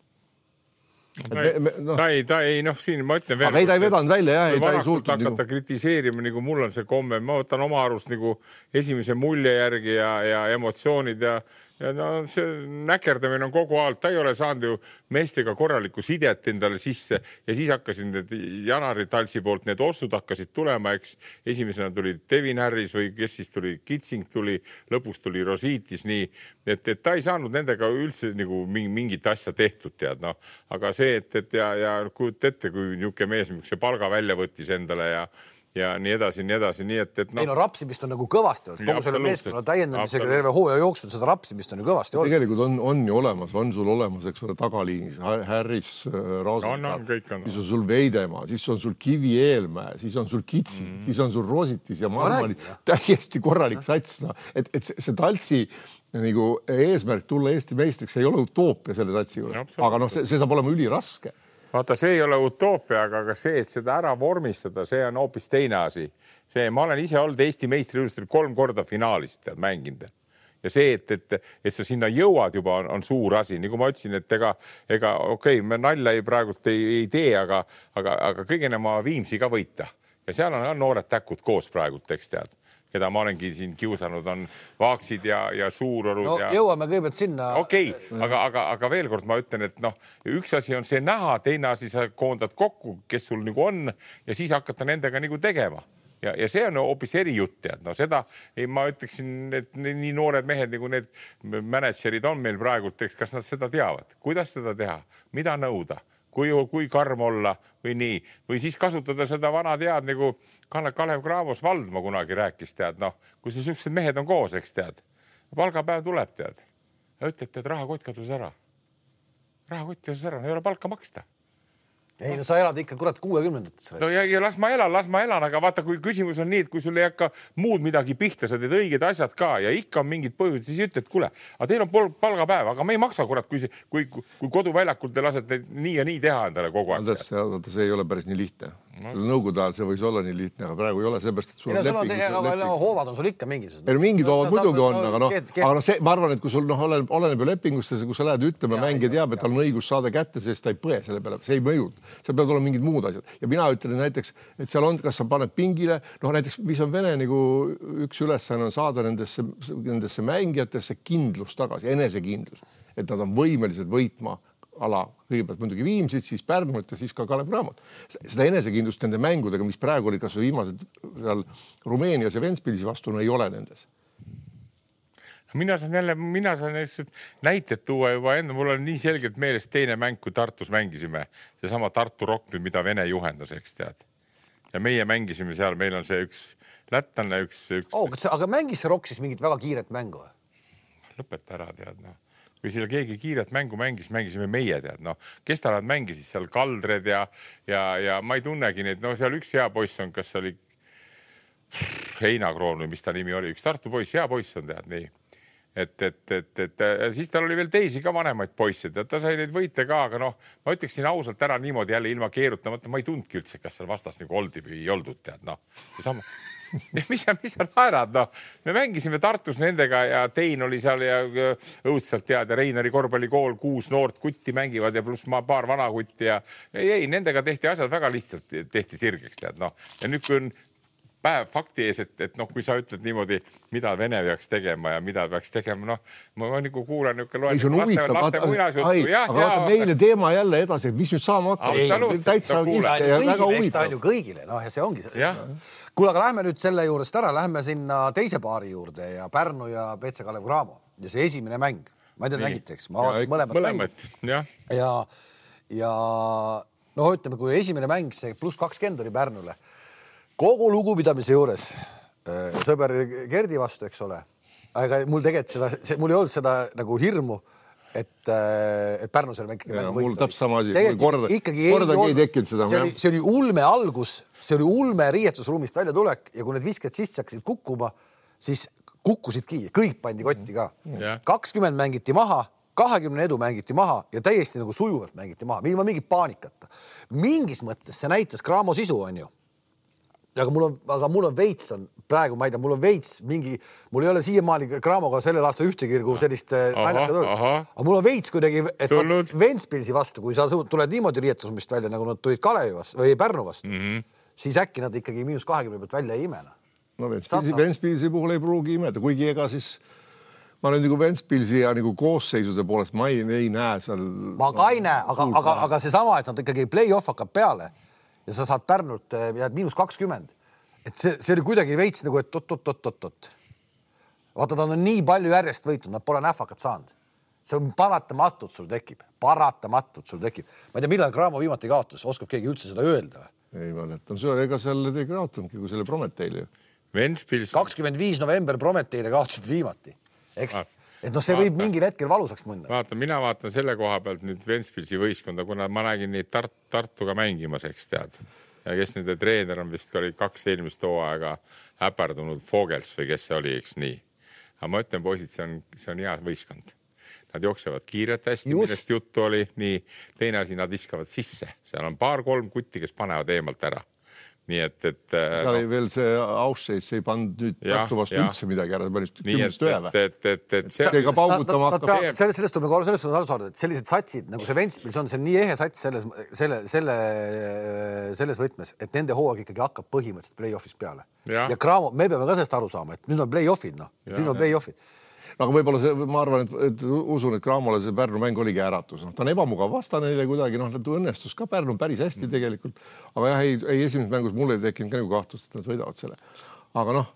Ta ei, me, no. ta ei, ta ei, noh, siin ma ütlen veel. Aga ei, ta ei vedanud välja, jah, ei, ta ei suutnud. Hakata nagu... kritiseerima, nagu mul on see komme, ma võtan oma arust nagu esimese mulje järgi ja, ja emotsioonid ja, ja no see näkerdamine on kogu aeg, ta ei ole saanud ju meestega korralikku sidet endale sisse ja siis hakkasin need Janari Talsi poolt, need ossud hakkasid tulema, eks esimesena tuli Devin Harris või kes siis tuli, Kitsing tuli, lõpus tuli Rosiitis, nii, et, et ta ei saanud nendega üldse nagu mingit asja tehtud, tead, noh, aga see, et, et ja, ja kujut ette, kui niuke mees, miks see palga välja võttis endale ja ja nii edasi, nii edasi, nii et, et no... Ei no rapsimist on nagu kõvasti, kogu selle meeskonna täiendamisega terve hooaja jooksul seda rapsimist on ju kõvasti olnud. Tegelikult on, on ju olemas, on sul olemas, eks ole, tagaliinis, Harris, Rosenthal, no, no, siis on sul Veidemaa, siis on sul Kivi Eelmäe, siis on sul Kitsing, mm. siis on sul Roositis ja Marmali täiesti korralik sats, no. et, et see, see Taltsi nagu eesmärk tulla Eesti meistriks ei ole utoopia selle satsi juures, aga noh, see, see saab olema üliraske. Vaata, see ei ole utoopia, aga see, et seda ära vormistada, see on hoopis teine asi. See, ma olen ise olnud Eesti meistriülistel kolm korda finaalist tead, mänginud. Ja see, et, et, et sa sinna jõuad juba on, on suur asi. Nii kui ma ütlesin, et ega, ega okei, me nalja ei praegult ei, ei tee, aga, aga, aga kõigene ma Viimsi ka võita. Ja seal on noored täkud koos praegult, eks tead. Keda ma olengi siin kiusanud, on Vaaksid ja, ja Suurorud. No ja... jõuame kõigepealt sinna. Okei, okay, aga, aga, aga veel kord ma ütlen, et noh, üks asi on see näha, teine asi sa koondad kokku, kes sul nagu on ja siis hakata nendega nagu tegema. Ja, ja see on hoopis eri jutt, tead. No seda ei, ma ütleksin, et nii noored mehed nagu need managerid on meil praegult, eks, kas nad seda teavad, kuidas seda teha, mida nõuda, kui, kui karm olla või nii, või siis kasutada seda vana tead nagu Kalev Kravos Valdma kunagi rääkis, tead, noh, kui see sellised mehed on koos, eks tead, palgapäev tuleb, tead, ja ütled, tead, rahakott kadus ära. Rahakott kadus ära, no ei ole palka maksta. Ei, no sa elad ikka kurat kuuekümnendates. No ja, ja las ma elan, las ma elan, aga vaata, kui küsimus on nii, et kui sul ei hakka muud midagi pihta, sa teed õiged asjad ka ja ikka on mingid põhjused, siis ütled, kuule, aga teil on palgapäev, aga me ei maksa kurat, kui, see, kui, kui koduväljakult te lasete nii ja nii teha endale kogu aeg. Andres, see ei ole päris nii lihtne. No. Nõukogude ajal see võis olla nii lihtne, aga praegu ei ole seepärast, et sul on leping. No, no, no, hoovad on sul ikka mingisugused. Ei, mingid hoovad muidugi on, aga noh, aga no see, ma arvan, et kui sul noh, oleneb, oleneb ju lepingust, kui sa lähed ütlema, mängija teab, et tal on õigus saada kätte, sest ta ei põe selle peale, see ei mõjud. Seal peavad olema mingid muud asjad. Ja mina ütlen näiteks, et seal on, kas sa paned pingile, noh näiteks, mis on Vene nagu üks ülesanne on saada nendesse, nendesse mängijatesse kindlus tagasi, enesekindlus, et nad on võimelised võitma ala kõigepealt muidugi Viimsit, siis Pärnut ja siis ka Kalev Cramot. Seda enesekindlust nende mängudega, mis praegu oli kas viimased seal Rumeenias ja Ventspilsi vastu, no ei ole nendes. Mina saan jälle, mina saan näited tuua juba enne, mul on nii selgelt meelest teine mäng, kui Tartus mängisime. See sama Tartu Rock, mida Vene juhendas, eks tead. Ja meie mängisime seal, meil on see üks lätlanne, üks... üks... Oh, aga mängis see Rock siis mingit väga kiiret mängu? Lõpeta ära, tead, noh. Kui seal keegi kiiret mängu mängis, mängisime meie, tead, noh. Kes ta nad mängisid seal Kaldred ja, ja, ja ma ei tunnegi neid, no seal üks hea poiss on, kas oli Heinakroon või mis ta nimi oli, üks Tartu poiss, hea poiss on, tead, nii. Et, et, et, et siis tal oli veel teisi ka vanemaid poisse, et ta sai neid võite ka, aga noh, ma ütleksin ausalt ära niimoodi jälle ilma keerutamata, ma ei tundki üldse, kas seal vastas nagu oldi või ei oldud, tead, noh. Ja sama... mis sa, mis sa naerad, noh. Me mängisime Tartus nendega ja Tein oli seal ja õudselt tead ja Reinari korvpallikool, kuus noort kutti mängivad ja pluss ma paar vana kutti ja ei, ei, nendega tehti asjad väga lihtsalt, tehti sirgeks, tead, noh. Ja nüüd kui on päev fakti ees, et, et noh, kui sa ütled niimoodi, mida Vene peaks tegema ja mida peaks tegema, noh, ma nagu kuulan niuke loen laste, laste muinasjuttu. Aga vaata meile teema jälle edasi, mis nüüd saama hakkab. Täitsa kõigile, ju kõigile, noh ja see ongi see. Kuule, aga lähme nüüd selle juurest ära, lähme sinna teise paari juurde ja Pärnu ja P C Kalev Cramo ja see esimene mäng. Ma ei tea, nägite, eks? Ma vaatasin mõlemad mängud. Ja, ja, ja no ütleme, kui esimene mäng, see pluss kakskümmend oli Pärnule. Kogu lugupidamise juures sõber Gerdi vastu, eks ole. Aga mul tegelikult seda, mul ei olnud seda nagu hirmu, et, et Pärnu selle mäng ja, mul täpselt sama asi. Korda, korda ei tekkinud seda. See oli, see oli ulme algus, see oli ulme riietusruumist välja tulek ja kui need visked sisse hakkasid kukkuma, siis kukkusidki. Kõik pandi kotti ka. kakskümmend mängiti maha, kahekümne edu mängiti maha ja täiesti nagu sujuvalt mängiti maha. Ilma mingit paanikata. Mingis mõttes see näitas Cramo sisu, on ju. Aga mul on, aga mul on veits on, praegu ma ei tea, mul on veits mingi, mul ei ole siiamaani Cramoga sellel aasta ühtegi sellist naljaka tulnud. Aga mul on veits kuidagi, et Ventspilsi vastu, kui sa tuled niimoodi riietusumist välja, nagu nad tulid Kalevi vastu või Pärnu vastu, mm -hmm. siis äkki nad ikkagi miinus kahekümne pealt välja ei imena. No Ventspilsi, Ventspilsi puhul ei pruugi imeda, kuigi ega siis ma olen nagu Ventspilsi ja nagu koosseisude poolest ma ei, ei näe seal... Ma ka ei näe, aga, aga, aga see sama, et nad ikkagi play-off hakkab peale ja sa saad Pärnult jääd miinus kakskümmend. Et see, see oli kuidagi veits nagu, et tot-tot-tot-tot. Vaata, ta on nii palju järjest võitnud, nad pole nähvakat saanud. See on paratamatult sul tekib. Paratamatult sul tekib. Ma ei tea, millal Cramo viimati kaotus, oskab keegi üldse seda öelda? Ei mäletan, see ega selle te kaotanudki, kui selle Prometeile. Ventspils... kakskümmend viis november Prometeile kaotasid viimati. Eks? Ah. Et no see vaata, võib mingil hetkel valusaks mõnda. Vaata, mina vaatan selle koha pealt nüüd Ventspilsi võistkonda, kuna ma nägin neid Tart, Tartuga mängimas, eks tead. Ja kes nende treener on vist oli kaks eelmist hooaega häperdunud Fogels või kes see oli, eks nii. Aga ma ütlen, poisid, see on, see on hea võistkond. Nad jooksevad kiiret hästi, Just. millest juttu oli. Nii, teine asi, nad viskavad sisse. Seal on paar-kolm kutti, kes panevad eemalt ära. Nii et, et... Seal oli no, veel see Ausseis, ei pannud nüüd Tartu vastu üldse midagi ära. Nii et, et, et, et, et see... Ega paugutama hakkab... Sellest tuleb nagu sellest aru saada, et sellised satsid, nagu see Ventspils on, see on nii ehe sats selles, selle, selle, selles võtmes, et nende hooaeg ikkagi hakkab põhimõtteliselt play-offis peale. Ja, ja Cramo, me peame ka sellest aru saama, et nüüd on play-offid, noh. Nüüd on play-offid. Aga võib-olla see, ma arvan, et, et usun, et Cramole see Pärnu mäng oligi äratus. No, ta on ebamugav vastane neile kuidagi, noh, ta õnnestus ka Pärnu päris hästi mm. tegelikult. Aga jah, ei, ei esimeses mängus mulle ei tekkinud ka nagu kahtlust, et nad võidavad selle. Aga noh,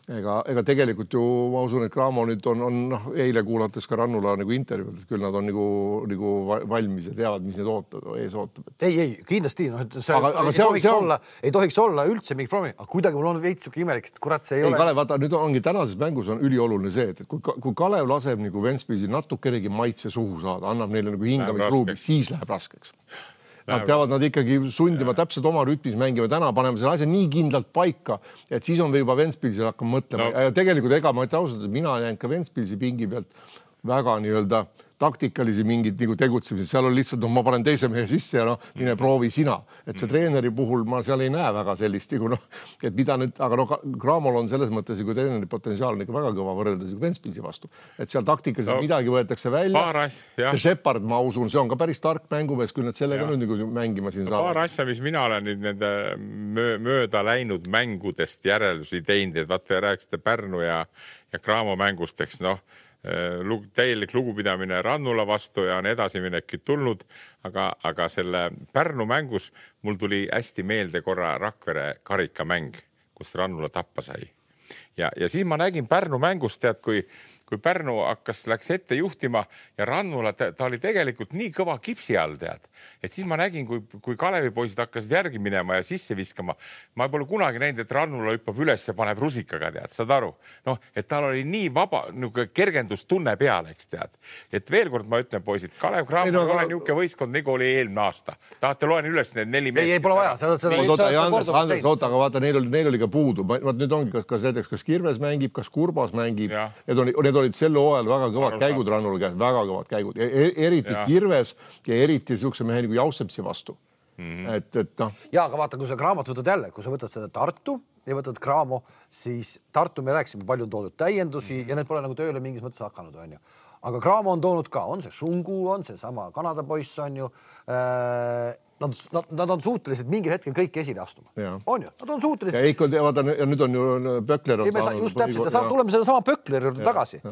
ega, ega tegelikult ju ma usun, et Cramo nüüd on, on noh, eile kuulates ka Rannula nagu intervjuud, et küll nad on nagu, nagu valmis ja teavad, mis need ootavad, ees ootab. Ei, ei, kindlasti, noh, see, aga, aga ei, tohiks on... olla, ei tohiks olla üldse mingi promi, aga kuidagi mul on veits suke imelik, et kurat, see ei, ei ole. Kalev, vaata, nüüd ongi tänases mängus on ülioluline see, et kui, kui Kalev laseb nagu Ventspilsi natukenegi maitse suhu saada, annab neile nagu hingamisruumi, siis läheb raskeks. Nad peavad nad ikkagi sundima täpselt oma rütmis mängima. Täna paneme selle asja nii kindlalt paika, et siis on juba Ventspilsil hakkama mõtlema. No. Ja tegelikult ega ma ütlen ausalt, et mina näen ka Ventspilsi pingi pealt väga nii-öelda taktikalisi mingid nagu tegutsemised. Seal on lihtsalt, no ma panen teise mehe sisse ja noh, mine proovi sina. Et see treeneri puhul ma seal ei näe väga sellist, no, et mida nüüd, aga no Cramol on selles mõttes, kui treeneri potentsiaal on ikka väga kõva võrreldes Ventspilsi vastu. Et seal taktikaliselt no, midagi võetakse välja. As, see Shepard, ma usun, see on ka päris tark mängumees, küll nad sellega nüüd nagu mängima siin saavad. Paar asja, mis mina olen nüüd nende mööda läinud mängudest järeldusi teinud, et vaata ja rääkisite Pärnu ja, ja Cramo mängusteks, noh, täielik lugupidamine Rannula vastu ja on edasiminekid tulnud, aga, aga selle Pärnu mängus mul tuli hästi meelde korra Rakvere karikamäng, kus Rannula tappa sai. Ja, ja siis ma nägin Pärnu mängust, tead, kui, kui Pärnu hakkas, läks ette juhtima ja Rannula, ta, ta oli tegelikult nii kõva kipsi all, tead. Et siis ma nägin, kui, kui Kalevi poisid hakkasid järgi minema ja sisse viskama. Ma pole kunagi näinud, et Rannula hüppab üles ja paneb rusikaga, tead, saad aru? Noh, et tal oli nii vaba, nagu kergendustunne peal, eks tead. Et veel kord ma ütlen, poisid, Kalev Cramo ei ole niuke võistkond, nagu oli eelmine aasta. Tahate loen üles need neli meest. Ei, ei pole vaja. Seda, seda, oota, ja Andres, Andres, oota, aga vaata, neil oli, neil oli ka puudu. Vaat nüüd ongi, kas, kas näiteks, kas Kirves mängib, kas Kurbas mängib. Need, on, need olid sel hooajal väga kõvad käigud Rannula käes, väga kõvad käigud. E eriti ja. Kirves ja eriti siukse mehe nagu Jausepsi vastu. Mm-hmm. Et, et noh. Ja, aga vaata, kui sa Cramot võtad jälle, kui sa võtad seda Tartu ja võtad Cramo, siis Tartu me rääkisime, palju on toodud täiendusi mm-hmm. ja need pole nagu tööle mingis mõttes hakanud, on ju. Aga Cramo on toonud ka, on see Šungu, on see sama Kanada poiss, on ju. Äh, Nad, nad, nad on suutelised mingil hetkel kõik esile astuma. Ja. On ju? Nad on suutelised. Ja, ikka, vaata, ja nüüd on ju Pökler. Ei, me saa, just täpselt, ja saa, tuleme selle sama Pökleri juurde tagasi. Ja.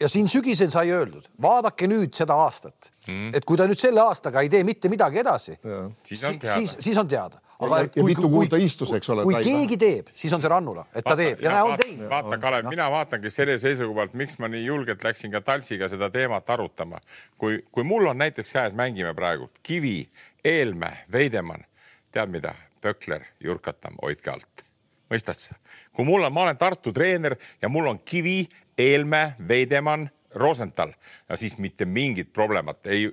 ja siin sügisel sai öeldud, vaadake nüüd seda aastat, mm. et kui ta nüüd selle aastaga ei tee mitte midagi edasi, siis on teada. Siis, siis on teada. Aga ja, ja mitu kuud ta istus, eks ole. Kui keegi teeb, siis on see Rannula, et ta vaata, teeb. Ja, ja näe, on teinud. Vaata, Kalev, no. Mina vaatangi selle seisukohalt, miks ma nii julgelt läksin ka Talsiga seda teemat arutama. Kui, kui mul on näiteks käes, mängime praegu Kivi, Eelmäe, Veidemann, tead mida? Pökler, Jurkatam, hoidke alt. Mõistad sa? Kui mul on, ma olen Tartu treener ja mul on Kivi, Eelmäe, Veidemann, Rosenthal, ja siis mitte mingit probleemat, ei,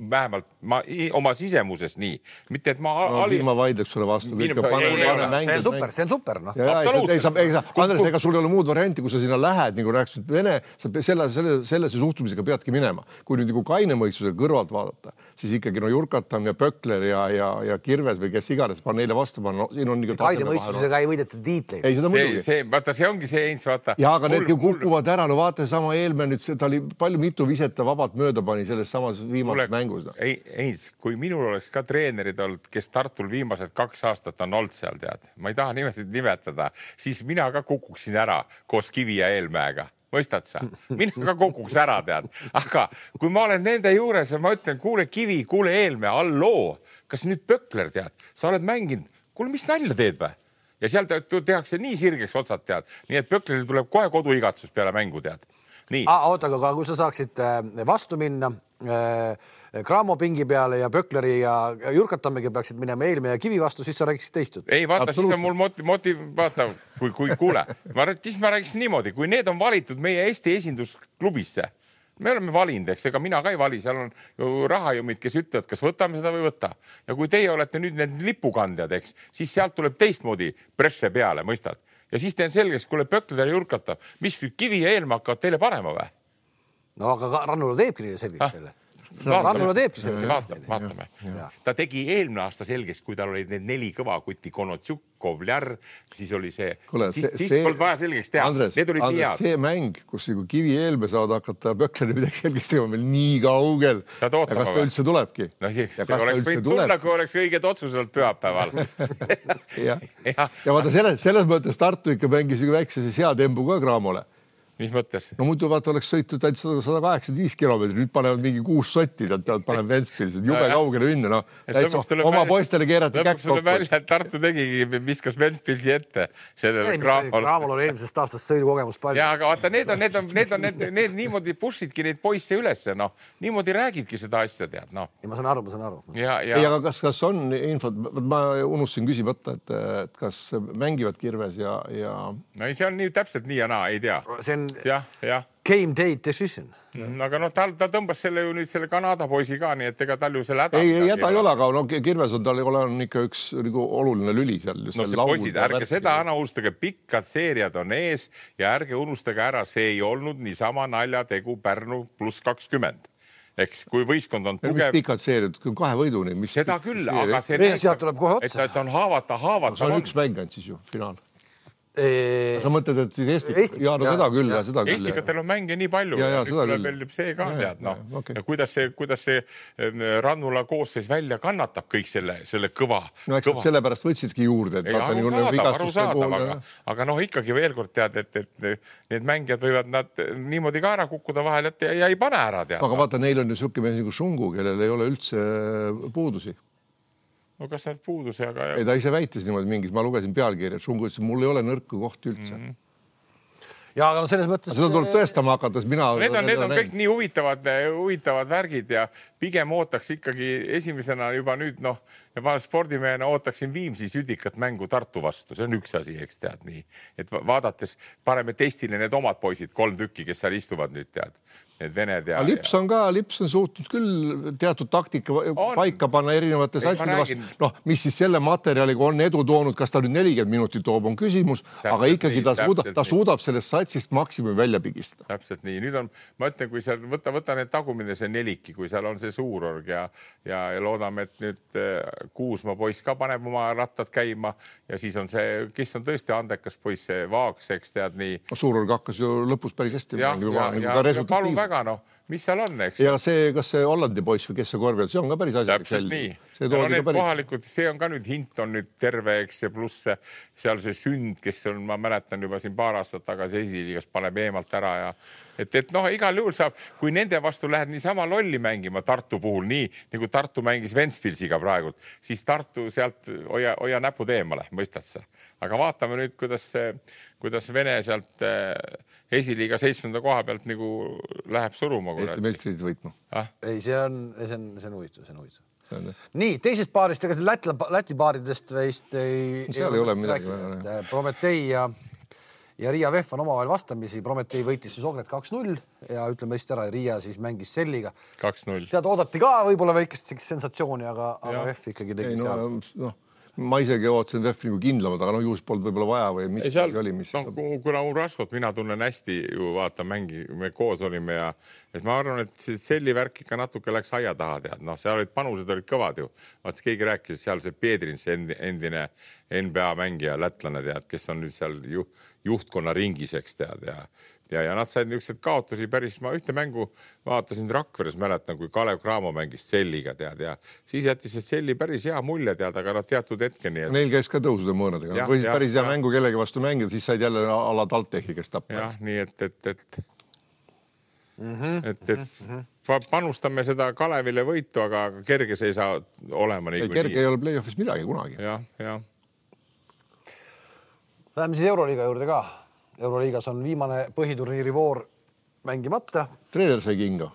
vähemalt ma, oma sisemuses nii. Mitte, et ma... No, ali... ma vaidleks sulle vastu. Minu... Pane, ei, pane ei, see on super, see on super. No. Ja, absoluutselt. Ei, ei, ei, Andres, ega sul ei ole muud varianti, kui sa sinna lähed, nagu rääkisid, Vene, sa selle, selle, selle suhtumisega peadki minema. Kui nüüd nagu kaine mõistuse kõrvalt vaadata, siis ikkagi no Jurkatam ja Pökler ja, ja, ja Kirves või kes iganes, pan neile vastu, pan, no, siin on nagu... Kaine mõistusega ei võideta tiitleid. Ei, seda muidugi. See, vaata, see ongi see eins, vaata. Ja, aga need kukuvad ära, no vaata sama Eelmäe nüüd, ta oli palju mitu viseta vabalt mööda pani selles samas viimases mängus. No. Ei, ei, kui minul oleks ka treenerid olnud, kes Tartul viimased kaks aastat on olnud seal, tead, ma ei taha nimesid nimetada, siis mina ka kukuksin ära koos Kivi ja Eelmäega. Mõistad sa? Mina ka kukuks ära, tead. Aga kui ma olen nende juures ja ma ütlen, kuule Kivi, kuule Eelmäe, alloo, kas nüüd Pökler, tead, sa oled mänginud, kuule, mis nalja teed või? Ja seal tehakse nii sirgeks otsad, tead. Nii et Pökleril tuleb kohe koduigatsus peale mängu, tead. Nii. Ah, oota, aga kui sa saaksid vastu minna Cramo pingi peale ja Pökleri ja Jurkatamiga peaksid minema Eelmäe ja Kivi vastu, siis sa räägiksid teistud. Ei, vaata, siis on mul motiv, motiv vaata, kui, kui kuule. Ma, siis ma räägiksin niimoodi, kui need on valitud meie Eesti esindusklubisse, me oleme valinud, eks, ega mina ka ei vali, seal on ju rahajumid, kes ütlevad, kas võtame seda või võtta. Ja kui teie olete nüüd need lipukandjad, eks, siis sealt tuleb teistmoodi presse peale, mõistad? Ja siis teen selgeks, kuule Pökler ja Jurkatab, mis Kivi ja Eelmäe hakkavad teile panema või? No aga Rannula teebki neile selgeks selle. Rannula teebki selle selgeks. Vaatame. Ta tegi eelmine aasta selgeks, kui tal olid need neli kõva kuti, Konotsuk, Kovljar, siis oli see, Kule, siis, see, siis polnud vaja selgeks teha. Andres, need olid Andres, see mäng, kus Kivi ja Eelmäe saavad hakata Pökleri midagi selgeks tegema meil nii kaugel. Ja kas ta üldse tulebki? No siis, see oleks võinud tulla, kui oleks õiged otsused pühapäeval. ja, ja vaata, selles, selles mõttes Tartu ikka mängis väikse hea tembu ka Cramole. Mis mõttes? No muidu vaata oleks sõitud ainult sada kaheksakümmend viis kilomeetrit, nüüd panevad mingi kuus sotti, nad peavad panema Ventspils, et jube kaugele minna. No. Oma poistele keerati käkk kokku. Lõpuks tuleb välja, et Tartu tegigi, viskas Ventspilsi ette. Cramol oli eelmisest aastast sõidukogemus palju. Ja, aga vaata, need on, need on, need on, need, need niimoodi pushidki neid poisse ülesse, noh. Niimoodi räägibki seda asja, tead, noh. Ja ma saan aru, ma saan aru. Ja, ja... Ei, aga kas, kas on infot, ma unustasin küsimata, et, et kas mängivad Kirves ja, ja... No ei, see on nii täpselt nii ja naa, ei tea. See on ja, ja. game day decision. Mm, aga noh, ta, ta tõmbas selle ju nüüd selle Kanada poisi ka, nii et ega tal ju selle häda. Ei, ei häda ei ole, aga no, Kirves on tal on ikka üks nagu, oluline lüli seal. No see poisid, ärge seda ära unustage, pikkad seeriad on ees ja ärge unustage ära, see ei olnud niisama naljategu Pärnu pluss kakskümmend. Eks, kui võistkond on tugev... Mis pikad seeriad, kahe võiduni. Mis seda küll, aga see... Sealt tuleb kohe otsa. Et on haavata, haavata. No, see on üks mänganud siis ju, finaal. Eee... sa mõtled, et siis Eesti, Eesti ja no seda küll ja, ja seda küll. Eestikatel on mänge nii palju. Ja, ja, tuleb veel see ka ja, tead, noh. Ja, okay. Ja kuidas see, kuidas see Rannula koosseis välja kannatab kõik selle, selle kõva. No eks kõva. Sellepärast võtsidki juurde. Et ei, arusaadav, arusaadav, aga, aga noh, ikkagi veel kord tead, et, et need mängijad võivad nad niimoodi ka ära kukkuda vahel, et ja ei pane ära tead. Aga vaata, neil on ju suhke mees nagu Šungu, kellel ei ole üldse puudusi. No kas nad puuduse, aga... Ei, ta ise väitis niimoodi mingis, ma lugesin pealkirja, et Šungu ütles, mul ei ole nõrku kohti üldse. Mm -hmm. Ja, aga no selles mõttes... Seda tuleb tõestama hakates, mina... Need on, need on kõik nii huvitavad, huvitavad värgid ja pigem ootaks ikkagi esimesena juba nüüd, noh, ja ma spordimehena ootaksin Viimsi südikat mängu Tartu vastu. See on üks asi, eks tead nii. Et vaadates pareme testile need omad poisid, kolm tükki, kes seal istuvad nüüd tead. Need vened ja... Lips on ka, Lips on suutnud küll teatud taktika on. Paika panna erinevates asjade vastu. Noh, mis siis selle materjaliga on edu toonud, kas ta nüüd nelikümmend minutit toob, on küsimus, täpselt aga ikkagi nii, ta, suudab, ta suudab sellest satsist maksimumi välja pigistada. Täpselt nii. Nüüd on, ma ütlen, kui seal võtta, võtta need tagumine see neliki, kui seal on see suurorg ja, ja, ja loodame, et nüüd Kuusma poiss ka paneb oma rattad käima ja siis on see, kes on tõesti andekas poiss, see Vaaks, eks tead nii. Suurorg hakkas ju lõpus päris hästi. Ja, ja, ja, ja palun väga, noh, mis seal on, eks? Ja see, kas see Hollandi poiss või kes see korvjal, see on ka päris asjalik. Täpselt nii. See, no, need päris... kohalikud, see on ka nüüd hint on nüüd terve, eks, ja pluss seal see Sünd, kes on, ma mäletan juba siin paar aastat tagasi esiliigas paneb eemalt ära ja et, et noh, igal juhul saab, kui nende vastu lähed niisama lolli mängima Tartu puhul, nii nagu Tartu mängis Ventspilsiga praegult, siis Tartu sealt hoia, hoia näpud eemale, mõistad sa. Aga vaatame nüüd, kuidas, kuidas Vene sealt esiliiga seitsmenda koha pealt nagu läheb suruma. Eesti meistrid võitma. Ah? Ei, see on, see on, see on huvitav, see on huvitav. Nii, teisest paarist, ega Läti, Läti paaridest veist ei, ei ole, ole midagi. Prometei ja, ja Riia Vehv on omavahel vastamisi. Prometei võitis siis Ogret kaks null ja ütleme hästi ära, Riia siis mängis Selliga. kaks null. Sealt oodati ka võib-olla väikest sensatsiooni, aga, aga Vehv ikkagi tegi ei, seal. No, no. Ma isegi ootasin Vehvi nagu kindlamad, aga no juhus polnud võib-olla vaja või mis ei, seal, oli. Mis... No, kuna Uraskot mina tunnen hästi ju vaata mängi, me koos olime ja et ma arvan, et Selli värk ikka natuke läks aia taha tead. No, seal olid panused olid kõvad ju. Vaat keegi rääkis seal see Pedrins endine N B A mängija lätlane tead, kes on nüüd seal ju, juhtkonna ringiseks tead ja Ja, ja nad said niisugused kaotusi päris, ma ühte mängu vaatasin Rakveres, mäletan, kui Kalev Cramo mängis Selliga tead ja siis jättis see Selli päris hea mulje tead, aga nad teatud hetkeni. Et... Neil käis ka tõusude mõõnadega. Võisid päris hea ja. Mängu kellegi vastu mängida, siis said jälle ala Taltehi, kes tappa. Jah, nii et, et, et, mm-hmm. et, et panustame seda Kalevile võitu, aga kerge see ei saa olema. Ei, kerge nii. Ei ole play-offis midagi kunagi. Ja, ja. Läheme siis Euroliiga juurde ka. Euroliigas on viimane põhiturniiri voor mängimata. Treener sai kinga.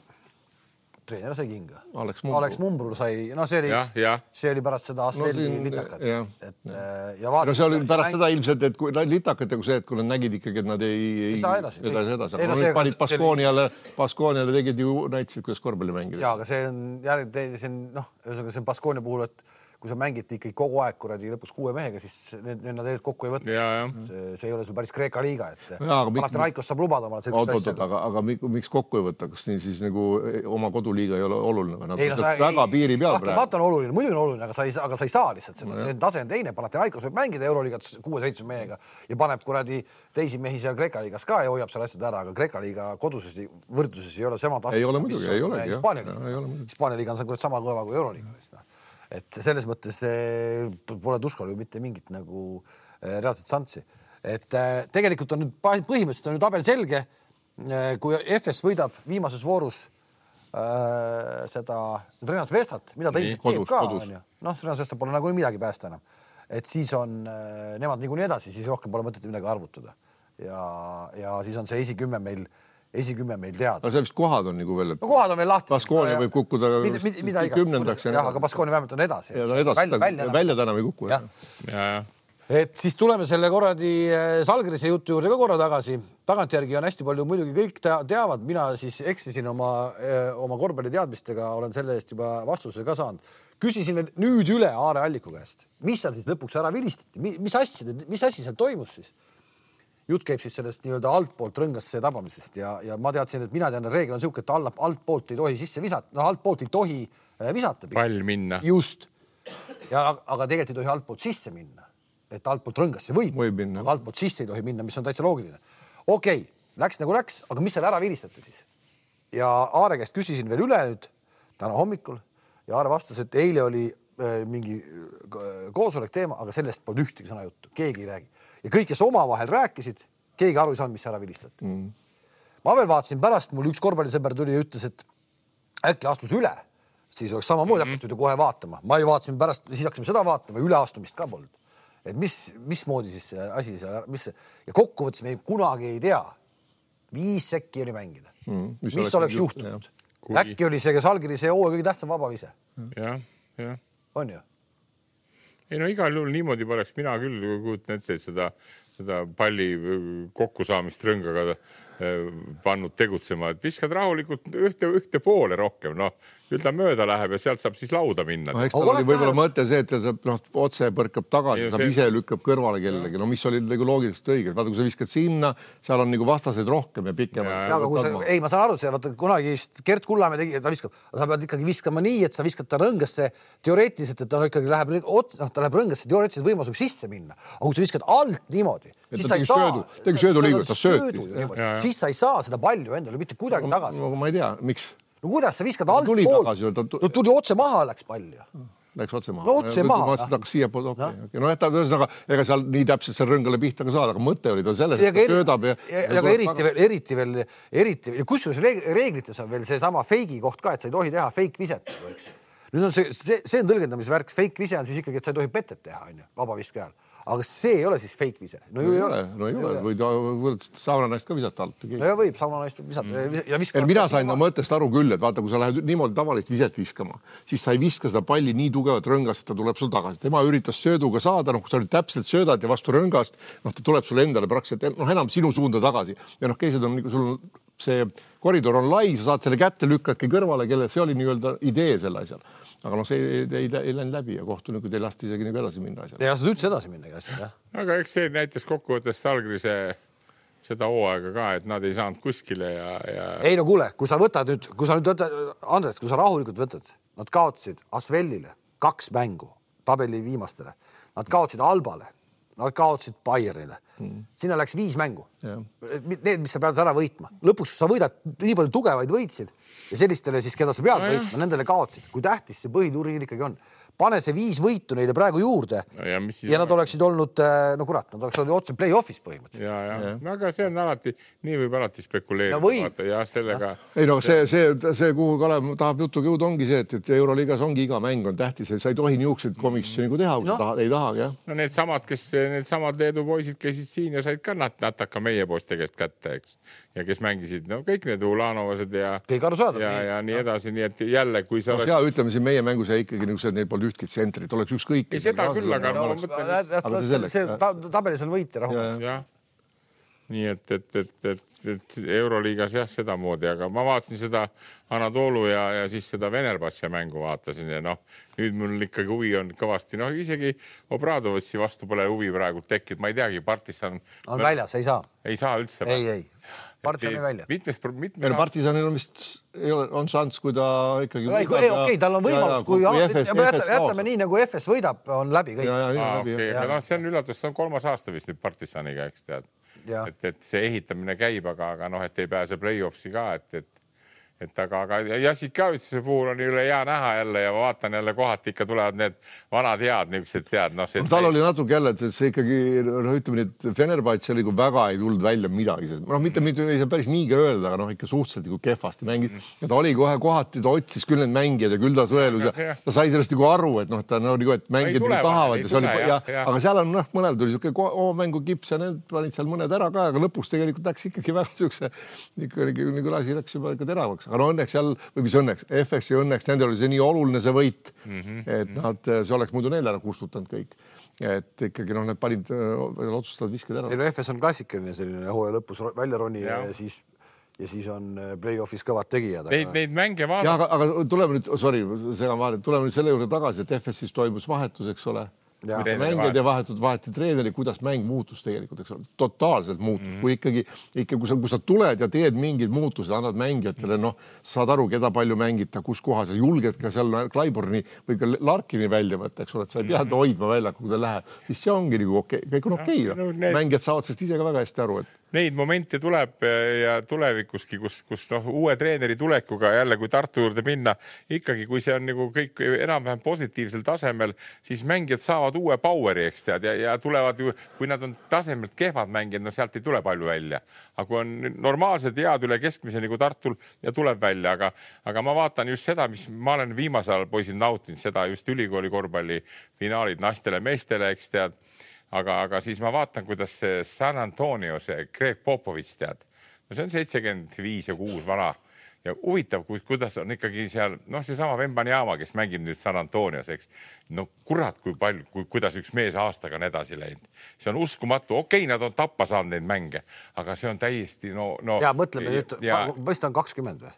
Treener sai kinga. Alex Mumbrul. Alex Mumbrul sai, no see oli, ja, ja. See oli pärast seda Asvelli no, litakat. Ja, et, ja. Ja no see oli pärast mäng... seda ilmselt, et kui litakat ja kui see, et kui nad nägid ikkagi, et nad ei, ei saa edasi. edasi, edasi. Ei, no, no, panid Baskooniale, Baskooniale tegid ju näitasid, kuidas korvpalli mängida. Ja, aga see on, järgi, see on, noh, see on Baskoonia puhul, et kui sa mängiti ikkagi kogu aeg kuradi lõpus kuue mehega, siis need, need nad kokku ei võtta. Ja, ja. See, see ei ole sul päris Kreeka liiga, et Panathinaikos saab lubada omale sellist asja. Aga, aga miks kokku ei võtta? Kas nii siis nagu oma koduliiga ei ole oluline? Nad ei, no, sa, väga ei, piiri peal praegu. Vaata on oluline, muidugi on oluline, aga sa ei, aga sa ei saa lihtsalt seda. See on tase on teine. Panathinaikos võib mängida Euroliigat kuue-seitsme mehega ja paneb kuradi teisi mehi seal Kreeka liigas ka ja hoiab seal asjad ära, aga Kreeka liiga koduses võrdluses ei ole sama tase. Ei ole muidugi, ei ole. Hispaania liiga on sama kõva kui Euroliiga. Et selles mõttes pole Tuskol ju mitte mingit nagu reaalset santsi. Et tegelikult on nüüd põhimõtteliselt on nüüd tabel selge, kui F S võidab viimases voorus äh, seda Renas Vestat, mida ta ilmselt teeb ka, on ju. Noh, Renas Vestat pole nagu midagi päästa enam. Et siis on äh, nemad niikuinii edasi, siis rohkem pole mõtet midagi arvutada. Ja, ja siis on see esikümme meil esikümme meil teada. Aga see vist kohad on nagu veel, et no, kohad on veel lahti. Baskoonia võib kukkuda mida, mida kümnendaks. Jah, aga Baskoonia vähemalt on edasi. Ja, no edasi välja, välja, välja täna või kukku. Ja, ja. Et siis tuleme selle korradi Salgrise jutu juurde ka korra tagasi. Tagantjärgi on hästi palju, muidugi kõik teavad, mina siis eksisin oma, oma korvpalli teadmistega, olen selle eest juba vastuse ka saanud. Küsisin nüüd üle Aare Alliku käest, mis seal siis lõpuks ära vilistati, mis asja, mis asi seal toimus siis? Jutt käib siis sellest nii-öelda altpoolt rõngasse tabamisest ja, ja ma teadsin, et mina tean, et reegel on siuke, et alla, altpoolt ei tohi sisse visata, no altpoolt ei tohi visata. Pall minna. Just. Ja, aga tegelikult ei tohi altpoolt sisse minna. et altpoolt rõngasse võib, võib minna. aga altpoolt sisse ei tohi minna, mis on täitsa loogiline. Okei, okay, läks nagu läks, aga mis seal ära vilistate siis? Ja Aare käest küsisin veel üle nüüd täna hommikul ja Aare vastas, et eile oli äh, mingi koosolek teema, aga sellest polnud ühtegi sõna juttu, keegi ei räägi. Ja kõik, kes omavahel rääkisid, keegi aru ei saanud, mis ära vilistati. Mm. Ma veel vaatasin pärast, mul üks korvpallisõber tuli ja ütles, et äkki astus üle, siis oleks samamoodi mm-hmm. hakatud ju kohe vaatama. Ma ju vaatasin pärast, siis hakkasime seda vaatama, üleastumist ka polnud. Et mis, mis moodi siis see asi seal, mis see, ja kokkuvõttes me kunagi ei tea. Viis sekki oli mängida. Mm, mis, mis oleks juhtunud? Kui... Äkki oli see, kes Algiri see hooaja kõige tähtsam vabavise. Jah, jah. On ju? Ei no igal juhul niimoodi poleks mina küll kujutan ette, et seda, seda palli kokkusaamist rõngaga pannud tegutsema, et viskad rahulikult ühte, ühte poole rohkem, noh, küll ta mööda läheb ja sealt saab siis lauda minna. No, eks ta oli võib-olla mõte see, et ta no, otse põrkab tagasi, saab see... ise lükkab kõrvale kellegi, no mis oli nagu loogiliselt õigelt. Vaata, kui sa viskad sinna, seal on nagu vastaseid rohkem ja pikem. Ja, ja, sa, ei, ma saan aru, see, vaata, kunagi Gert Kullamäe tegi, ta viskab, sa pead ikkagi viskama nii, et sa viskad ta rõngasse teoreetiliselt, et ta ikkagi läheb, noh, ta läheb rõngasse teoreetiliselt võimalusega sisse minna. Aga kui sa viskad alt niimoodi, siis sa ei saa, tegi söödu liigut, ta sööti. Siis sa ei saa seda palju endale mitte kuidagi tagasi. No, ma ei tea, miks? No kuidas sa viskad alt pool? No tuli otse maha, läks palju. Läks otse maha. No otse maha. Ma seda siia pool, okei. Okay, okay. No jätta, ühesõnaga, ega seal nii täpselt seal rõngale pihta ka saada, aga mõte oli ta selles, et ta söödab ja... Ja, ja, ja eriti, veel, eriti veel, eriti veel, kusjuures reeglites on veel see sama feigi koht ka, et sa ei tohi teha fake viset. Nüüd on see, see, see on tõlgendamisvärk. Fake vise on siis ikkagi, et sa ei tohi petet teha, on ju, vabaviske ajal. Aga see ei ole siis fake vise. No ju ei ole. No ei ole. Võid saunanaist ka visata alt. No ja võib saunanaist visata. Mm. Ja viskama. Mina sain no mõttest aru küll, et vaata, kui sa lähed niimoodi tavalist viset viskama, siis sa ei viska seda palli nii tugevat rõngast, et ta tuleb sul tagasi. Tema üritas sööduga saada, noh, kui sa olid täpselt söödad ja vastu rõngast, noh, ta tuleb sul endale praktiliselt, noh, enam sinu suunda tagasi. Ja noh, keised on, sul see koridor on lai, sa saad selle kätte lükkadki kõrvale, kelle see oli nii-öelda idee selle asjal. Aga noh, see ei, ei, ei läinud läbi ja kohtunikud ei lasti isegi nagu edasi minna asjal. Ja sa üldse edasi minna asjal, jah. Aga eks see näitas kokkuvõttes Algrise seda hooaega ka, et nad ei saanud kuskile ja, ja... Ei no kuule, kui sa võtad nüüd, kui sa nüüd võtad, Andres, kui sa rahulikult võtad, nad kaotasid Asvelile kaks mängu tabeli viimastele. Nad kaotasid Albale, nad kaotasid Bayerile. Hmm. Sinna läks viis mängu. Ja. Need, mis sa pead ära võitma. Lõpuks sa võidad nii palju tugevaid võitsid ja sellistele siis, keda sa pead no, võitma, nendele kaotsid. Kui tähtis see põhituuriin ikkagi on. Pane see viis võitu neile praegu juurde no, ja, ja nad oleksid olnud, no kurat, nad oleks olnud otse play-offis põhimõtteliselt. Ja, ja. No, aga see on alati, nii võib alati spekuleerida. No võib. Ja sellega... Ja. Ei no see, see, see, kuhu Kalev tahab jutuga jõud ongi see, et, et Euroliigas ongi iga mäng on tähtis, et sa ei tohi niisugused komisjoni nagu teha, kui no. sa tahad, ei tahagi. Ja. No need samad, kes need samad Leedu poisid käisid siin ja said ka nat nataka meie poiste käest kätte, eks. Ja kes mängisid, no kõik need Ulanovased ja, ja, ja nii edasi, nii et jälle, kui sa no, oleks... Ja ütleme siin meie mängus ja ikkagi niisugused, neil polnud ühtki tsentrit, oleks ükskõik. Ei seda küll, aga no, ma mõtlen... See tabelis on võit ja rahu. Ja. Nii et, et, et, et, et Euroliigas jah, seda moodi, aga ma vaatasin seda Anadolu ja, ja siis seda Venerbassia mängu vaatasin ja noh, nüüd mul ikkagi huvi on kõvasti, noh isegi Obradovitsi vastu pole huvi praegu tekkinud, ma ei teagi, Partisan... On väljas, ei saa. Ei saa üldse. Ei, ei. Partisani välja. Mitmes, mitmes... Ja, Partisanil on vist ei ole, on šans, kui ta ikkagi... Ei, okei, okay, tal on võimalus, ja, kui, kui F S, jätame, jätame nii, nagu F S võidab, on läbi kõik. Ja, ja, ja, ah, läbi, okay. ja. No, see on üllatus, see on kolmas aasta vist nüüd Partisaniga, eks tead. Et, et see ehitamine käib, aga, aga noh, et ei pääse play-offsi ka, et, et et aga, aga Jassikavitsuse puhul on üle hea näha jälle ja vaatan jälle kohati ikka tulevad need vanad head niisugused tead. No, no, tal oli natuke jälle, et see ikkagi, no ütleme nii, et Fenerbahce oli kui väga ei tulnud välja midagi. No mitte, mitte ei saa päris niigi öelda, aga noh, ikka suhteliselt nagu kehvasti mängid. Ja ta oli kohe kohati, ta otsis küll need mängijad ja küll ta sõelus ja ta sai sellest nagu aru, et noh, ta no, nagu, et mängijad nagu tahavad. Ja tule, oli, ja, ja, aga seal on noh, mõnel tuli siuke mängu kips ja need panid seal mõned ära ka, aga lõpuks tegelikult läks ikkagi väga siukse, ikka nagu lasi läks juba ikka teravaks. Aga no õnneks seal, või mis õnneks, F S-i õnneks, nendel oli see nii oluline see võit, mm-hmm. et nad, see oleks muidu neil ära kustutanud kõik. Et ikkagi noh, need panid, otsustavad visked ära. Ei no F S on klassikaline selline hooaja lõpus välja roni ja, ja, siis, ja siis on play-offis kõvad tegijad. Neid, aga... neid mänge vaadata. Ja, aga, aga tuleme nüüd, sorry, segan vahele, tuleme nüüd selle juurde tagasi, et F S-is toimus vahetus, eks ole. mängijad ja vahetud vaheti treeneri, kuidas mäng muutus tegelikult, eks ole, totaalselt muutus. Mm -hmm. Kui ikkagi, ikkagi kui, sa, kui sa tuled ja teed mingid muutused, annad mängijatele, noh, saad aru, keda palju mängita, kus kohas ja julged ka seal Klaiborni või ka Larkini välja võtta, eks ole, et sa ei pea hoidma välja, kui ta läheb, siis see ongi nagu okei, kõik on okei. No, need... Mängijad saavad sellest ise ka väga hästi aru, et neid momente tuleb ja tulevikuski, kus, kus noh, uue treeneri tulekuga jälle, kui Tartu juurde minna, ikkagi kui see on nagu kõik enam-vähem positiivsel tasemel, siis mängijad saavad uue poweri, eks tead, ja, ja tulevad ju, kui nad on tasemelt kehvad mängijad, no sealt ei tule palju välja. Aga kui on normaalsed head üle keskmise nagu Tartul ja tuleb välja, aga, aga ma vaatan just seda, mis ma olen viimasel ajal poisid nautinud, seda just ülikooli korvpalli finaalid naistele, meestele, eks tead. Aga, aga siis ma vaatan, kuidas see San Antonio, see Greg Popovits tead, no see on seitsekümmend viis ja kuus vana ja huvitav, kuidas on ikkagi seal, noh, see sama Wembanyama, kes mängib nüüd San Antonios, eks. No kurat, kui palju, kui, kuidas üks mees aastaga on edasi läinud. See on uskumatu. Okei, nad on tappa saanud neid mänge, aga see on täiesti, no, no. Ja mõtleme nüüd, mõista on kakskümmend või?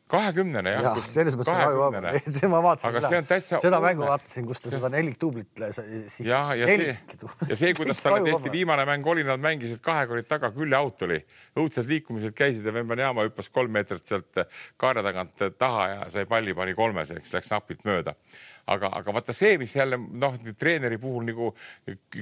kahekümnene, jah. Ja, selles mõttes on kahekümnene. See ma vaatasin aga seda, täitsa, seda mängu vaatasin, kus ta seda nelik tuublit siis ja, ja, see, ja see, kuidas talle tehti viimane mäng oli, nad mängisid kahekorid taga, küll aut oli. Õudsed liikumised käisid ja Wembanyama hüppas kolm meetrit sealt kaare tagant taha ja sai palli pani kolmeseks, läks napilt mööda. Aga, aga vaata see, mis jälle noh, treeneri puhul nagu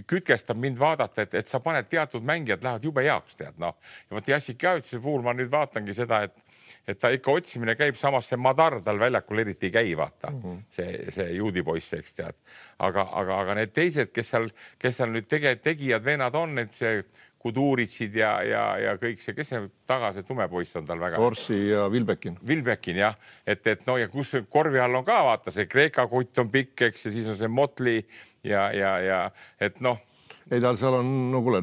kütkestab mind vaadata, et, et sa paned teatud mängijad lähevad jube heaks, tead, noh. Ja vaata Jassik Javitsuse puhul ma nüüd vaatangi seda, et et ta ikka otsimine käib, samas see Madar tal väljakul eriti ei käi, vaata, mm -hmm. see, see juudi poiss, eks tead. Aga, aga, aga need teised, kes seal, kes seal nüüd tege, tegijad veenad on, et see Kuduritsid ja, ja, ja kõik see, kes see taga, see tumepoiss on tal väga. Orsi ja Vilbekin. Vilbekin, jah. Et, et no ja kus korvi all on ka, vaata, see Kreeka kutt on pikk, eks, ja siis on see Motley ja, ja, ja et noh, ei, tal seal on, no kuule,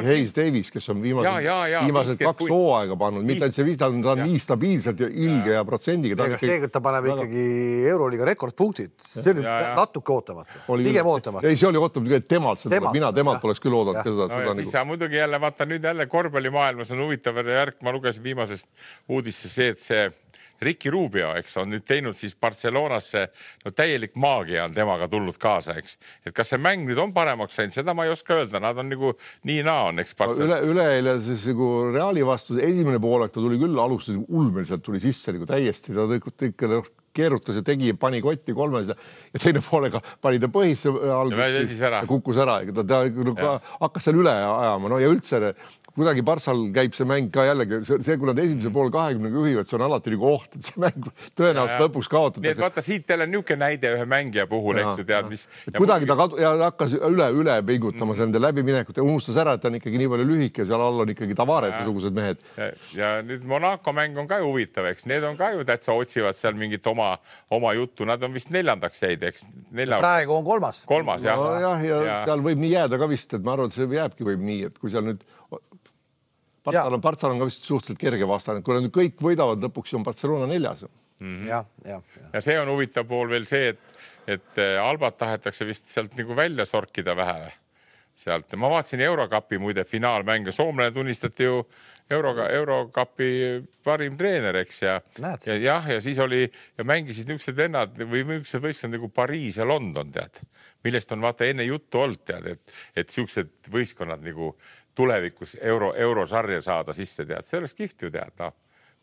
Hayes Davis, kes on viimased, ja, ja, ja, viimased kaks kui... hooaega pannud, mitte ainult see viis, ta on, ta on nii stabiilselt ja ilge ja, ja protsendiga. Ega seega ta paneb väga... ikkagi Euroliiga rekordpunktid, see on ja, ja. natuke ootamata, pigem ootamata. Ei, see oli ootamata, temalt, temalt, mina temalt oleks küll oodanud. No, seda, siis sa muidugi jälle, vaata nüüd jälle korvpallimaailmas on huvitav järg, ma lugesin viimasest uudisse see, et see Ricky Rubio, eks, on nüüd teinud siis Barcelonasse, no täielik maagia on temaga tulnud kaasa, eks. Et kas see mäng nüüd on paremaks sain, seda ma ei oska öelda, nad on nagu nii naa on, eks. Üle, üleeile siis nagu Reali vastu esimene poolek, ta tuli küll alustas ulmeliselt, tuli sisse nagu täiesti, ta tõi keerutas ja tegi, pani kotti kolmes ja, ja teine poolega pani ta põhisse alguses ja, ja kukkus ära. Ta, ta, ta hakkas seal üle ajama, no ja üldse kuidagi Barssal käib see mäng ka jällegi, see, kui nad esimese pool kahekümnega juhivad, see on alati nagu oht, et see mäng tõenäoliselt lõpuks kaotatakse. Nii et vaata siit jälle niisugune näide ühe mängija puhul, eks ju tead, mis... Kuidagi ta kadu, ja hakkas üle, üle pingutama mm. nende läbiminekut ja unustas ära, et ta on ikkagi nii palju lühike, seal all on ikkagi Tavares-sugused mehed. Ja, ja nüüd Monaco mäng on ka ju huvitav, eks. Need on ka ju täitsa otsivad seal mingit oma, oma juttu. Nad on vist neljandaks jäid, eks. Nelja... Praegu on kolmas. Kolmas, jah. No, jah, ja, ja seal võib nii jääda ka vist, et ma arvan, et see jääbki võib nii, et kui seal nüüd Partsal on, Partsal on ka vist suhteliselt kerge vastane, kui nad kõik võidavad lõpuks, on Barcelona neljas. Mm-hmm. Ja, ja, ja. ja see on huvitav pool veel see, et, et Albat tahetakse vist sealt nagu välja sorkida vähe sealt. Ma vaatasin Eurokapi muide finaalmänge. Soomlane tunnistati ju Euroga, Eurokapi parim treener, eks. Ja, ja, jah, ja siis oli ja mängisid niisugused vennad või niisugused võistkond nagu Pariis ja London, tead. Millest on vaata enne juttu olnud, tead, et, et niisugused võistkonnad nagu tulevikus euro, eurosarja saada sisse, tead. See oleks kihvt ju tead, no.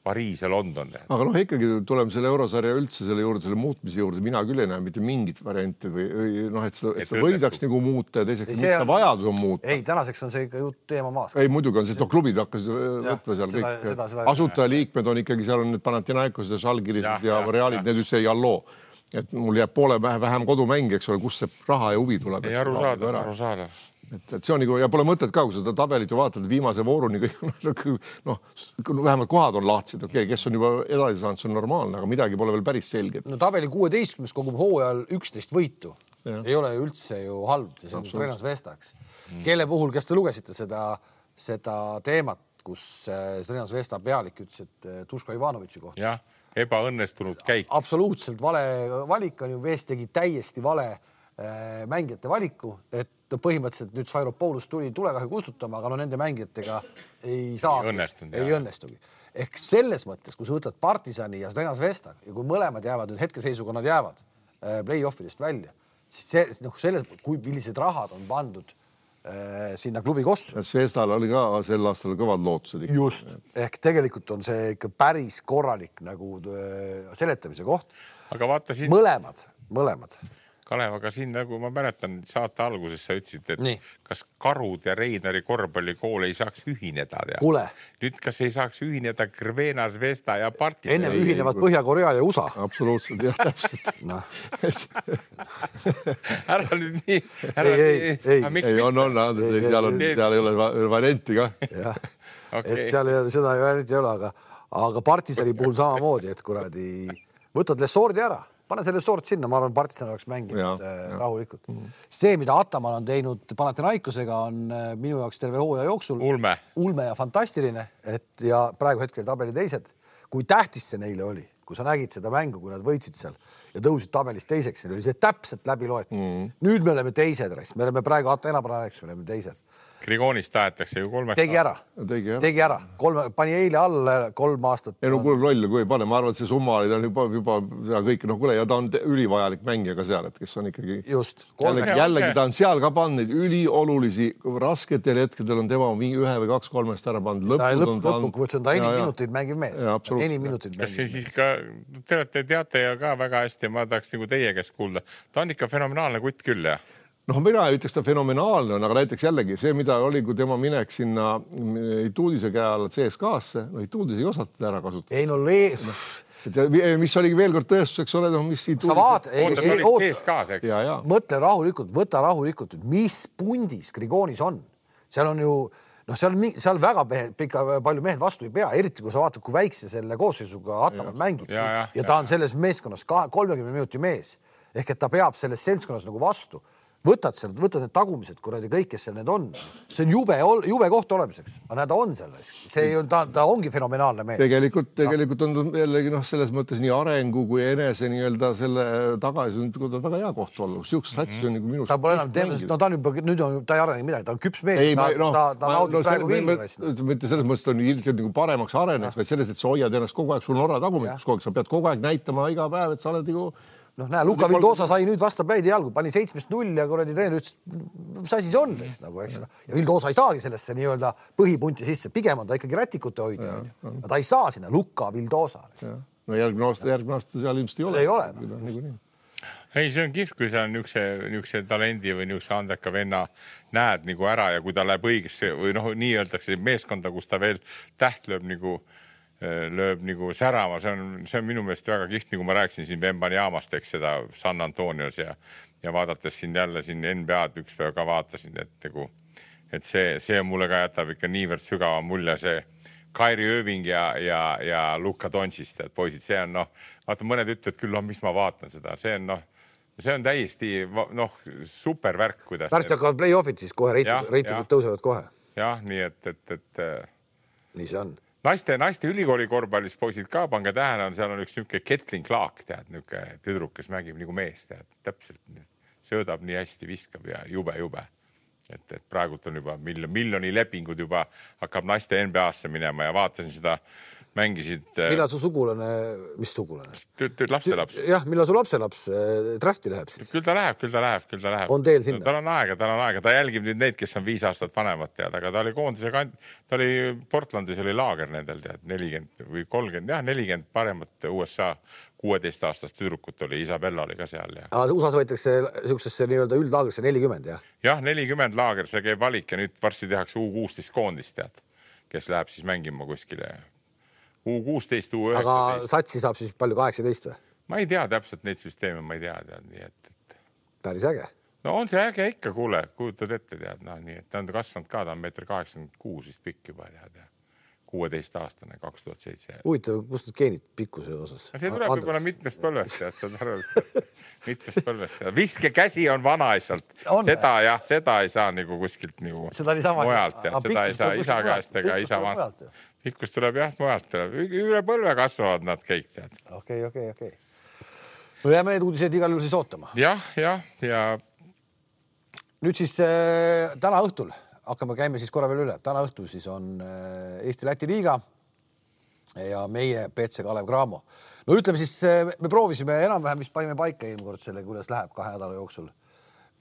Pariis ja London. Tead. Aga noh, ikkagi tuleme selle eurosarja üldse selle juurde, selle muutmise juurde. Mina küll ei näe mitte mingit varianti või, või noh, et seda, et seda võidaks nagu muuta ja teiseks, mis see vajadus on muuta. Ei, tänaseks on see ikka jutt teema maas. Ei, muidugi on see, no klubid hakkas võtma seal seda, kõik. Seda, seda, asutajaliikmed on ikkagi, seal on need Panathinaikos ja Žalgirised ja, ja Realid, need just see Jalloo. Et mul jääb poole vähem kodumäng, eks ole, kus see raha ja huvi tuleb. Ei aru saada, aru saada. Et, et see on nagu, ja pole mõtet ka, kui seda tabelit ju vaatad viimase vooruni kõik, noh, vähemalt kohad on lahtsid, okei, kes on juba edasi saanud, see on normaalne, aga midagi pole veel päris selge. No tabeli kuueteistkümnes kogub hooajal üksteist võitu. Ja. Ei ole üldse ju halb, see on Trenas Vestaks. Mm. Kelle puhul, kes te lugesite seda, seda teemat, kus Trenas Vesta pealik ütles, et Duško Ivanovitši kohta. Jah, ebaõnnestunud käik. Absoluutselt vale valik on ju, Vest tegi täiesti vale mängijate valiku, et põhimõtteliselt nüüd Svairopoulos tuli tulekahju kustutama, aga no nende mängijatega ei saa, ei õnnestugi. Ei õnnestugi. Ehk selles mõttes, kui sa võtad Partisani ja Trenas Vesta ja kui mõlemad jäävad nüüd hetkeseisuga, nad jäävad play-offidest välja, see, noh, selles, kui millised rahad on pandud äh, sinna klubi kossu. Zvezdal oli ka sel aastal kõvad lootused. Just, ehk tegelikult on see ikka päris korralik nagu äh, seletamise koht. Aga vaata siin... Mõlemad, mõlemad. Kalev, aga siin nagu ma mäletan saate alguses sa ütlesid, et Nii. kas Karud ja Reinari korvpallikool ei saaks ühineda. Kule. Nüüd kas ei saaks ühineda Krvena, Zvezda ja Partizan? Ennem ühinevad Põhja-Korea ja U S A. Absoluutselt, jah, täpselt. No. ära nüüd nii. Ära ei, ei, ei. ei, on, on, seal, on, seal ei ole varianti ka. Jah, okay. Et seal ei ole, seda ei ole, ei ole, aga, aga Partizani puhul samamoodi, et kuradi võtad Lesordi ära. Pane selle sort sinna, ma arvan, Partizan oleks mänginud ja, äh, ja. rahulikult. Mm. See, mida Ataman on teinud Panathinaikosega, on äh, minu jaoks terve hooaja jooksul ulme. ulme ja fantastiline, et ja praegu hetkel tabeli teised. Kui tähtis see neile oli, kui sa nägid seda mängu, kui nad võitsid seal ja tõusid tabelis teiseks, oli see täpselt läbi loetud. Mm. Nüüd me oleme teised, me oleme praegu Atenapaneks, me oleme teised. Grigonist tahetakse ju kolmeks. Tegi ära, tegi ära, tegi ära. Kolme, pani eile alla kolm aastat. Ei no kuule rolli, kui ei pane, ma arvan, et see summa oli ta juba, juba ja kõik, no kuule, ja ta on ülivajalik mängija ka seal, et kes on ikkagi... Just. Jällegi, jällegi ta on seal ka pannud üliolulisi, rasketel hetkedel on tema ühe või kaks kolmest ära pannud. Ta lõpp, lõppukvõts on ta enim minutit mängiv mees. Enim minutit mängiv mees. Siis ka, te olete, teate ja ka väga hästi, ma tahaks nagu teie käest kuulda. Ta on ikka fenomenaalne kutt küll, jah? noh, mina ütleks ta fenomenaalne on, aga näiteks jällegi see, mida oli, kui tema minek sinna Ituudise käe alla C S K-sse, no Ituudis ei osatud ära kasutada. Ei no lees. Mis oligi veel kord tõestuseks ole, no mis Ituudis... Sa vaat, ei, ei, oota, ja, ja. mõtle rahulikult, võta rahulikult, mis pundis Grigonis on. Seal on ju, noh, seal, seal väga pika, palju mehed vastu ei pea, eriti kui sa vaatad, kui väikse selle koosseisuga Ataman mängib. Ja, ja, ja ta on selles meeskonnas kolmekümne minuti mees. Ehk et ta peab selles seltskonnas nagu vastu. Võtad seal, võtad need tagumised, kuradi kõik, kes seal need on. See on jube, jube koht olemiseks. Aga näed, ta on selles. See on, ta, ta ongi fenomenaalne mees. Tegelikult, tegelikult on jällegi noh, selles mõttes nii arengu kui enese nii-öelda selle tagasi on väga hea koht olla. Siukses satsis on nagu minust. Ta pole enam teemast, no ta on juba, nüüd on, ta ei arene midagi, ta on küps mees. Ei, ta, no, ta, ta ma, naudib no, praegu vilmurist. Mitte selles mõttes on ilmselt nagu paremaks areneks, vaid selles, et sa hoiad ennast kogu aeg, sul on orra tagumikus kogu aeg, sa pead kogu aeg näitama iga päev, et sa oled nagu noh, näe, Luka Vildosa sai nüüd vastu päid jalgu, pani seitsmest null ja kuradi treener ütles, mis asi see on neist nagu, eks. Ja Vildosa ei saagi sellesse nii-öelda põhipunti sisse, pigem on ta ikkagi rätikute hoidja. Ja, ja ta ei saa sinna Luka Vildosa. No järgmine aasta, järgmine aasta seal ilmselt ei ole. Ei ole. No. Ei, see on kihvt, kui sa niukse, niukse talendi või niukse andeka venna näed nagu ära ja kui ta läheb õigesse või noh, nii öeldakse meeskonda, kus ta veel täht lööb nagu lööb nagu särama, see on, see on minu meelest väga kiht, nagu ma rääksin siin Vembani jaamast, eks seda San Antonios ja, ja vaadates siin jälle siin N B A-d üks päev ka vaatasin, et, nagu, et see, see mulle ka jätab ikka niivõrd sügava mulje see Kyrie Irving ja, ja, ja Luka Doncist, et poisid, see on noh, vaata mõned ütlevad küll, no mis ma vaatan seda, see on noh, see on täiesti noh, super värk, kuidas. Värst hakkavad play-offid siis kohe, reitingud tõusevad kohe. Jah, nii et, et, et nii see on. Naiste, naiste ülikooli korvpallis poisid ka, pange tähele, on seal on üks niuke Ketlin Clark, tead, niuke tüdruk, kes mängib nagu mees, tead, täpselt söödab nii hästi, viskab ja jube, jube. Et, et praegult on juba miljon, miljoni lepingud juba hakkab naiste N B A-sse minema ja vaatasin seda, mängisid... Millal su sugulane, mis sugulane? Lapselaps. Jah, millal su lapselaps drafti läheb siis? Küll ta läheb, küll ta läheb, küll ta läheb. On teel sinna? Tal on aega, tal on aega. Ta jälgib nüüd neid, kes on viis aastat vanemad, tead, aga ta oli koondise kand... Ta oli Portlandis, oli laager nendel, tead, nelikümmend või kolmkümmend, jah, nelikümmend paremat U S A kuueteist aastast tüdrukut oli, Isabella oli ka seal. Ja. Aga U S A-s võetakse siuksesse nii-öelda üldlaagrisse nelikümmend, jah? Jah, nelikümmend laager, see käib valik ja nüüd varsti tehakse U kuusteist koondist, tead, kes läheb siis mängima kuskile U kuusteist, U üheksateist. Aga satsi saab siis palju kaheksateist või? Ma ei tea täpselt neid süsteeme, ma ei tea, tead, nii et, et... Päris äge. No on see äge ikka, kuule, kujutad ette, tead, no nii, et ta on kasvanud ka, ta on meeter kaheksakümmend kuus vist pikk juba, tead, kuueteist aastane, kaks tuhat seitse. Huvitav, kust need geenid pikkuse osas? See tuleb võib-olla mitmest põlvest, tead, sa tarvad, mitmest põlvest. Viske käsi on vana asjalt. Seda, jah, seda ei saa nagu kuskilt nagu mujalt, tead, seda ei saa isa käest ega isa vana. Pikkus tuleb jah, mujalt. Üle põlve kasvavad nad kõik, tead. Okei, okei, okei. No jääme need uudised igal juhul siis ootama. Jah, jah, ja... Nüüd siis äh, täna õhtul hakkame käime siis korra veel üle. Täna õhtul siis on äh, Eesti-Läti liiga ja meie P C Kalev Cramo. No ütleme siis, me proovisime enam-vähem, mis panime paika eelmine kord selle, kuidas läheb kahe nädala jooksul.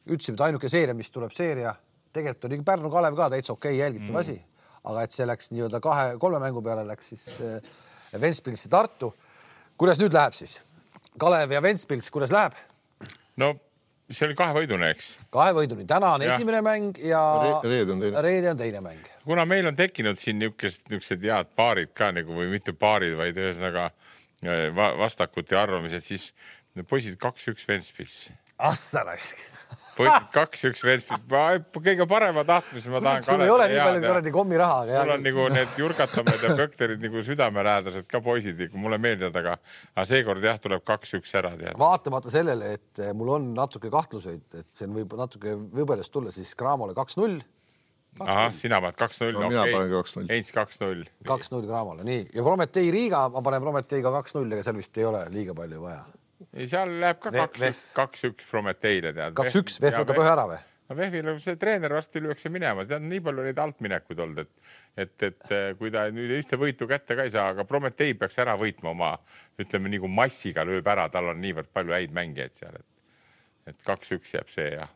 ütlesime, et ainuke seeria, mis tuleb seeria, tegelikult oli Pärnu Kalev ka täitsa okei jälgitav asi, aga et see läks nii-öelda kahe, kolme mängu peale läks siis Ventspilsi Tartu. Kuidas nüüd läheb siis? Kalev ja Ventspils, kuidas läheb? No see oli kahe võidune, eks? Kahe võiduni. Täna on ja. esimene mäng ja reede on teine. Reede on teine mäng. Kuna meil on tekkinud siin niisugused, niisugused head paarid ka nagu, või mitte paarid, vaid ühesõnaga vastakuti arvamised, siis poisid kaks üks Ventspils. Assarask. Poisid kaks üks Ventspils. Kõige parema tahtmise ma tahan. Sul ei ole nii palju korradi kommi raha. Mul on nagu need jurgatamed ja pökterid nagu südamelähedased ka poisid, mulle meeldivad, aga, aga seekord jah, tuleb kaks üks ära. Tead. Vaatamata sellele, et mul on natuke kahtluseid, et see võib natuke võbelest tulla, siis Cramole kaks null. Aha, sina paned kaks null. No, mina panen kaks null. Eins kaks null. kaks null Cramole, nii. Ja Prometei Riiga, ma panen Prometei ka kaks null, ega seal vist ei ole liiga palju vaja. Ei, seal läheb ka kaks üks Prometeile. kaks üks, Vef võtab ühe ära või? Vefil see treener vasti lüüakse minema, tead nii palju neid altminekud olnud, et, et, et kui ta nüüd ühte võitu kätte ka ei saa, aga Prometei peaks ära võitma oma, ütleme nagu massiga lööb ära, tal on niivõrd palju häid mängijaid seal, et, et kaks üks jääb see ja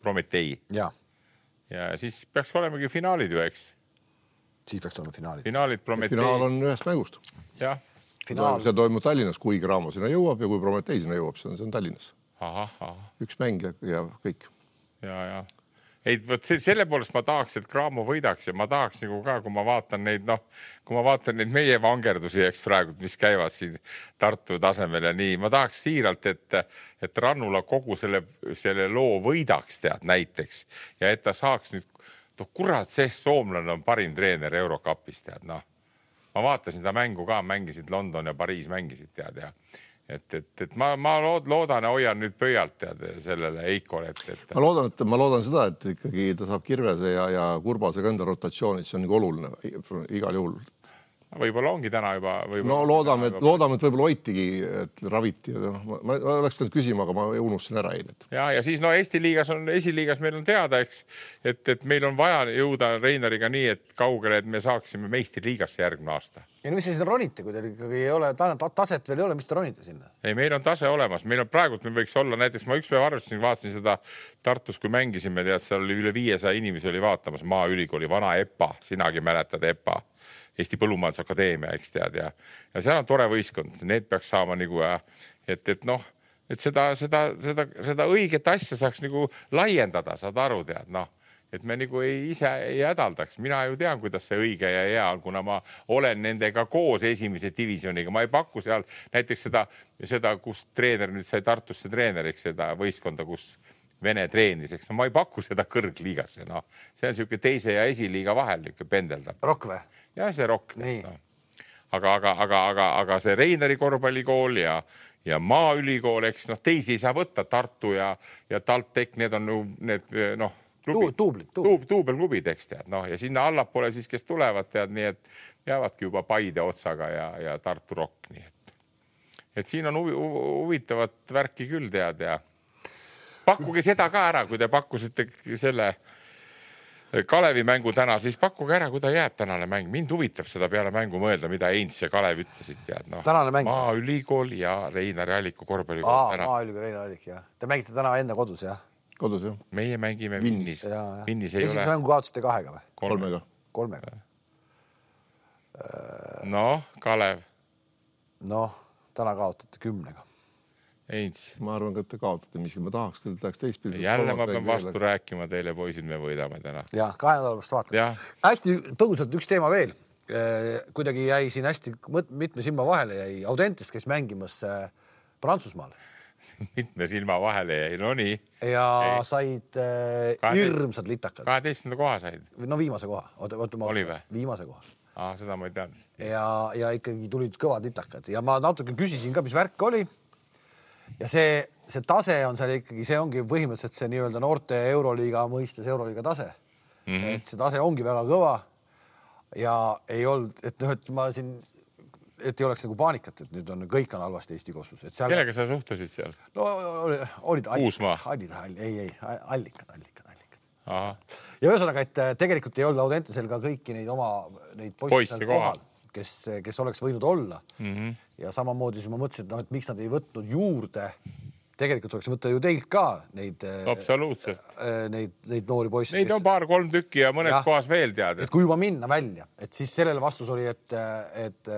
Prometei. Ja. ja siis peaks olemegi finaalid ju, eks? Siis peaks olema finaalid. Finaalid Prometei. Finaal on ühest mängust. Jah. Finaal. See toimub Tallinnas, kui Cramo sinna jõuab ja kui Prometei sinna jõuab, see on, see on Tallinnas. Aha, aha. Üks mäng ja, ja kõik. Ja, ja. Ei, võt, selle poolest ma tahaks, et Cramo võidaks ja ma tahaks nagu ka, kui ma vaatan neid, noh, kui ma vaatan neid meie vangerdusi, eks praegu, mis käivad siin Tartu tasemel ja nii, ma tahaks siiralt, et, et Rannula kogu selle, selle loo võidaks tead näiteks ja et ta saaks nüüd, noh, kurat, see soomlane on parim treener Eurocupis tead, noh. Ma vaatasin ta mängu ka, mängisid London ja Pariis mängisid tead ja et, et, et ma, ma loodan ja hoian nüüd pöialt tead sellele Eikole. Et, et... Ma loodan, et ma loodan seda, et ikkagi ta saab Kirvese ja, ja Kurbasega enda rotatsioonid, see on nagu oluline igal juhul. Võib-olla ongi täna juba... No loodame, et, loodame, et võib-olla hoitigi, et raviti. Ma, ma oleks teinud küsima, aga ma unustasin ära eile. Ja, ja siis no Eesti liigas on, esiliigas meil on teada, eks, et, et meil on vaja jõuda Reinariga nii, et kaugele, et me saaksime meistriliigasse järgmine aasta. Ja no mis te siin ronite, kui teil ikkagi ei ole, taset veel ei ole, mis te ronite sinna? Ei, meil on tase olemas. Meil on praegult, me võiks olla, näiteks ma üks päev arvasin, vaatasin seda Tartus, kui mängisime, tead, seal oli üle viiesaja inimesi oli vaatamas Maaülikooli vana EPA, sinagi mäletad EPA. Eesti Põllumajandusakadeemia, eks tead, ja, ja seal on tore võistkond, need peaks saama nagu, et, et noh, et seda, seda, seda, seda õiget asja saaks nagu laiendada, saad aru tead, noh, et me nagu ei, ise ei hädaldaks. Mina ju tean, kuidas see õige ja hea on, kuna ma olen nendega koos esimese divisioniga, ma ei paku seal näiteks seda, seda, kus treener nüüd sai Tartusse treeneriks, seda võistkonda, kus Vene treenis, eks no ma ei paku seda kõrgliigasse, noh, see on siuke teise ja esiliiga vahel niuke pendeldab. Rokk või? Ja see rokk. No. Aga, aga, aga, aga, aga see Reinari korvpallikool ja, ja Maaülikool, eks noh, teisi ei saa võtta, Tartu ja, ja TalTech, need on need, noh, klubid, tuublit, tuub, tuubelklubid, eks tead, noh, ja sinna allapoole siis, kes tulevad, tead, nii et jäävadki juba Paide otsaga ja, ja Tartu Rokk, nii et, et siin on huvi, huvitavat värki küll tead ja pakkuge seda ka ära, kui te pakkusite selle Kalevi mängu täna, siis pakkuge ära, kui ta jääb tänane mäng. Mind huvitab seda peale mängu mõelda, mida Eins ja Kalev ütlesid. Tead, no. Maaülikool ja Reinari Alliku korvpallikool. Aa, Maaülikool, Reinari Allik, jah. Te mängite täna enda kodus, jah? Kodus, jah. Meie mängime Vinnis. Vinnis ei Esimene ole. mängu kaotasite kahega või? Kolmega. Kolmega. Noh, Kalev. Noh, täna kaotate kümnega. Eins. Ma arvan, et te kaotate, mis ma tahaks, küll tahaks teist pildi. Jälle ma pean vastu veel. Rääkima teile, poisid, me võidame täna. Ja, kahe nädala pärast vaatame. Hästi tõusalt üks teema veel. Kuidagi jäi siin hästi mitme silma vahele jäi Audentest, kes mängimas Prantsusmaal. Mitme silma vahele jäi, no nii. Ja ei. Said hirmsad litakad. kaheteistkümnenda koha said. No viimase koha. Oota, oota, Oli või? Viimase koha. Aa, seda ma ei teadnud. Ja, ja ikkagi tulid kõvad litakad. Ja ma natuke küsisin ka, mis värk oli. Ja see, see tase on seal ikkagi, see ongi põhimõtteliselt see nii-öelda noorte Euroliiga mõistes Euroliiga tase. Mm -hmm. Et see tase ongi väga kõva ja ei olnud, et, noh, et ma siin, et ei oleks nagu paanikat, et nüüd on kõik on halvasti Eesti kossus. Seal... Kellega sa suhtusid seal? No olid, olid Uusmaa? Allikad, ei, ei, allikad, allikad, allikad. Aha. Ja ühesõnaga, et tegelikult ei olnud Audentesel ka kõiki neid oma neid poisse kohal, kes, kes oleks võinud olla. Mm -hmm. Ja samamoodi siis ma mõtlesin, et, no, et miks nad ei võtnud juurde tegelikult oleks võtta ju teilt ka neid, absoluutselt. neid, neid noori poisse. Neid on paar-kolm tükki ja mõnes ja, kohas veel tead. Et kui juba minna välja, et siis sellele vastus oli, et, et,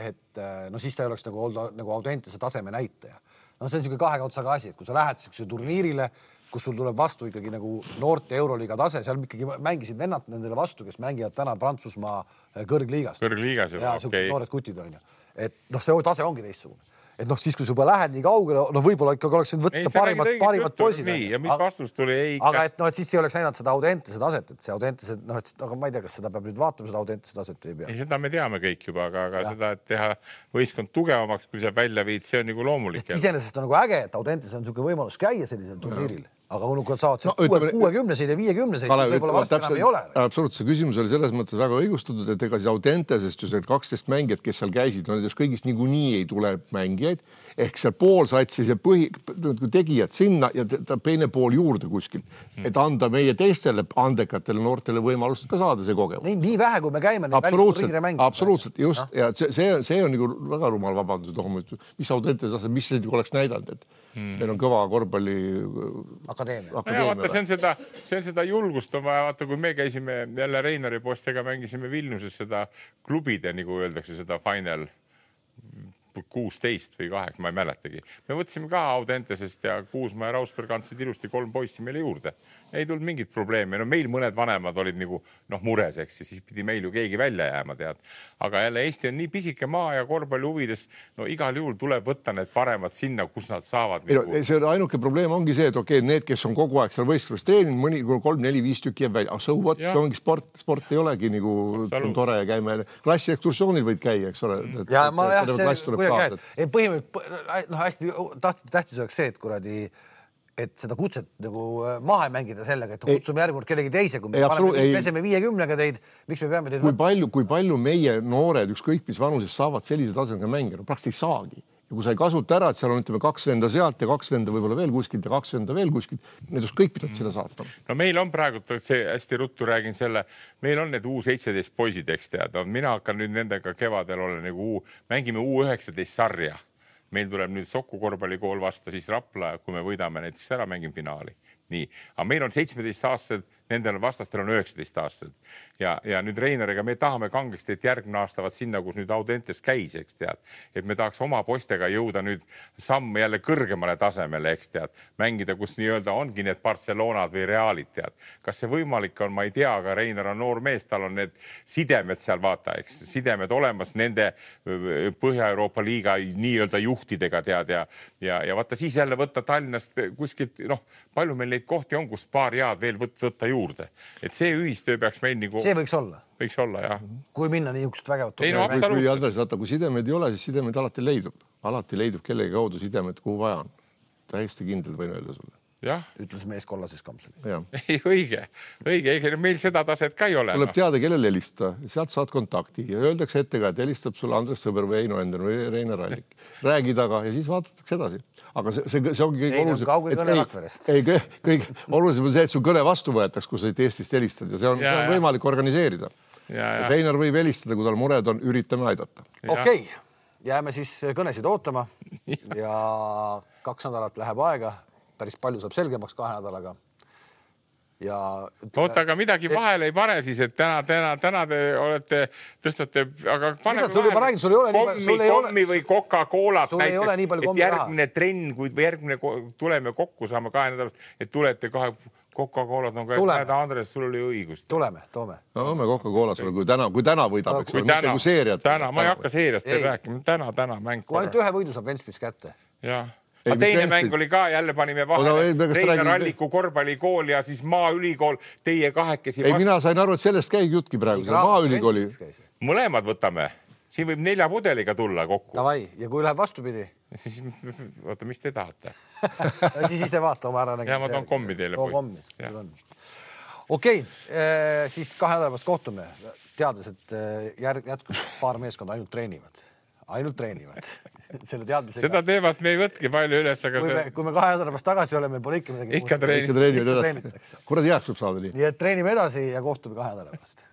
et no siis ta ei oleks nagu olnud nagu Audentese taseme näitaja. No see on niisugune kahekaudsaga asi, et kui sa lähed siukse turniirile, kus sul tuleb vastu ikkagi nagu noorte Euroliiga tase, seal ikkagi mängisid vennad nendele vastu, kes mängivad täna Prantsusmaa kõrgliigast. Kõrgliigas juba, okei. Okay. Noored kutid on ju. Et noh, see tase ongi teistsugune. Et noh, siis kui sa juba lähed nii kaugele, noh võib-olla ikkagi oleks võtta ei, parimat, parimat poisid. Nii, ja mis vastus tuli? Ei, aga et, no, et siis ei oleks näidanud seda Audentese taset, et see Audentese, noh, et aga ma ei tea, kas seda peab nüüd vaatama, seda Audentese taset ei pea. Ei, seda me teame kõik juba, aga, aga seda, et teha võistkond tugevamaks, kui sa välja viid, see on nagu loomulik. Iseenesest on nagu äge, et Audentese on niisugune võimalus käia sellisel turniiril. Aga kui nad saavad no, kuuekümneseid ja viiekümneseid, siis võib-olla varsti enam ei ole. Absoluutselt, see küsimus oli selles mõttes väga õigustatud, et ega siis Audentesest ju see kaksteist mängijat, kes seal käisid, no nendest kõigist niikuinii ei tule mängijaid, ehk seal pool satsis ja põhi, tegijad sinna ja ta teine pool juurde kuskil, et anda meie teistele andekatele noortele võimalust ka saada see kogemus. Nii, nii vähe, kui me käime neid välisturniire mängida. Absoluutselt, just. No? Ja see, see, see on nagu väga rumal vabandus, mis Audentese tase, mis see oleks näidanud, et hmm. meil on kõva korvpalli akadeemia. Ja, vaata, see on seda, see on seda julgust on vaja, vaata, kui me käisime jälle Reinari postega, mängisime Vilniuses seda klubide, nagu öeldakse, seda final kuusteist või kaheksa, ma ei mäletagi. Me võtsime ka Audentesest ja Kuusma ja Rausberg andsid ilusti kolm poissi meile juurde. Ei tulnud mingit probleemi. No meil mõned vanemad olid nagu noh, mures, eks, siis pidi meil ju keegi välja jääma, tead. Aga jälle Eesti on nii pisike maa ja korvpalli huvides, no igal juhul tuleb võtta need paremad sinna, kus nad saavad. Ei, nagu... See ainuke probleem ongi see, et okei, okay, need, kes on kogu aeg seal võistluses treeninud, mõni kolm, neli, viis tükki jääb välja. Ah, so what? See ongi sport. Sport ei olegi nagu tore ja käime. Klassi ekskursioonil võid käia, eks ole. Et, ja ma jah, see põhimõtteliselt, noh, hästi tähtis oleks see, et kuradi, et seda kutset nagu maha ei mängida sellega, et kutsume järgmine kellegi teise, kui me peseme viiekümnega teid, miks me peame teid... Kui palju, kui palju meie noored ükskõik mis vanuses saavad sellise tasemega mängida, praktiliselt ei saagi. Ja kui sa ei kasuta ära, et seal on ütleme kaks venda sealt ja kaks venda võib-olla veel kuskilt ja kaks venda veel kuskilt, need kõik pidavad sinna saata. No meil on praegu, see hästi ruttu räägin selle, meil on need U seitseteist poisid, eks tead, mina hakkan nüüd nendega kevadel olla nagu U, mängime U üheksateist sarja. Meil tuleb nüüd Soku korvpallikool vasta, siis Rapla, kui me võidame näiteks ära, mängime finaali. Nii, aga meil on seitsmeteist aastased, nendel vastastel on üheksateist aastased. Ja, ja nüüd Reinariga me tahame kangesti, et järgmine aasta vaat sinna, kus nüüd Audentes käis, eks tead. Et me tahaks oma postega jõuda nüüd samm jälle kõrgemale tasemele, eks tead. Mängida, kus nii-öelda ongi need Barcelonad või Realid, tead. Kas see võimalik on, ma ei tea, aga Reinar on noor mees, tal on need sidemed seal vaata, eks. Sidemed olemas nende Põhja-Euroopa liiga nii-öelda juhtidega, tead. Ja, ja, ja vaata siis jälle võtta Tallinnast kuskilt, noh, palju meil neid kohti on, kus paar jaad veel võt, võtta juurde. Et see ühistöö peaks meil nagu... See võiks olla. Võiks olla, jah. Kui minna niisugust vägevat... Ei, no, kui, Andres, vaata, kui sidemed ei ole, siis sidemed alati leidub. Alati leidub kellegi kaudu sidemed, kuhu vaja on. Täiesti kindlalt võin öelda sulle. Jah. Ütles mees kollases kampsunis. Ei, õige. Õige, õige. Meil seda taset ka ei ole. Tuleb teada, kellel helistada. Sealt saad kontakti ja öeldakse ettega, et helistab sulle Andres Sõber või Eino Ender või Reinar Allik. Räägi taga ja siis vaadatakse edasi. Aga see, see, see ongi kõige olulisem. Kauge kõne Rakverest. Ei, kõige olulisem on see, et su kõne vastu võetaks, kui sa Eestist helistad ja see on, ja, see on võimalik organiseerida. Reinar võib helistada, kui tal mured on, üritame aidata. Okei, okay. Jääme siis kõnesid ootama ja kaks nädalat läheb aega. Päris palju saab selgemaks kahe nädalaga. Ja oota, aga midagi vahele ei pane siis, et täna, täna, täna te olete, tõstate, aga pane sul juba räägin, sul ei ole kommi, sul ei kommi või Coca-Colat sul ei ole nii palju kommi raha. Järgmine trenn, kui järgmine tuleme kokku, saame kahe nädalat, et tulete kahe Coca-Colat on ka, et Andres, sul oli õigust. Tuleme, toome. No me Coca-Cola sulle, kui täna, kui täna võidab, eks kui täna, täna, täna, ma ei hakka seeriast rääkima, täna, täna mäng. Kui ainult ühe võidu saab Ventspils kätte. Jah. Aga teine mäng oli ka, jälle panime vahele Reinar Alliku korvpallikool ja siis Maaülikool, teie kahekesi vastu. Ei, mina sain aru, et sellest käib jutki praegu, see Maaülikooli. Mõlemad võtame. Siin võib nelja pudeliga tulla kokku. Davai, ja kui läheb vastupidi? Siis, oota, mis te tahate? Siis ise vaata oma ära nägema. Ja ma toon kommi teile. Okei, siis kahe nädala pärast kohtume, teades, et järg jätkub paar meeskonda ainult treenivad. Ainult treenivad. Selle teadmisega. Seda teevad me ei võtki palju üles, aga kui me, see... kui me kahe nädala pärast tagasi oleme, pole ikka midagi. Ikka treenitakse. Kuradi jääks võib saada nii. Nii et treenime edasi ja kohtume kahe nädala pärast.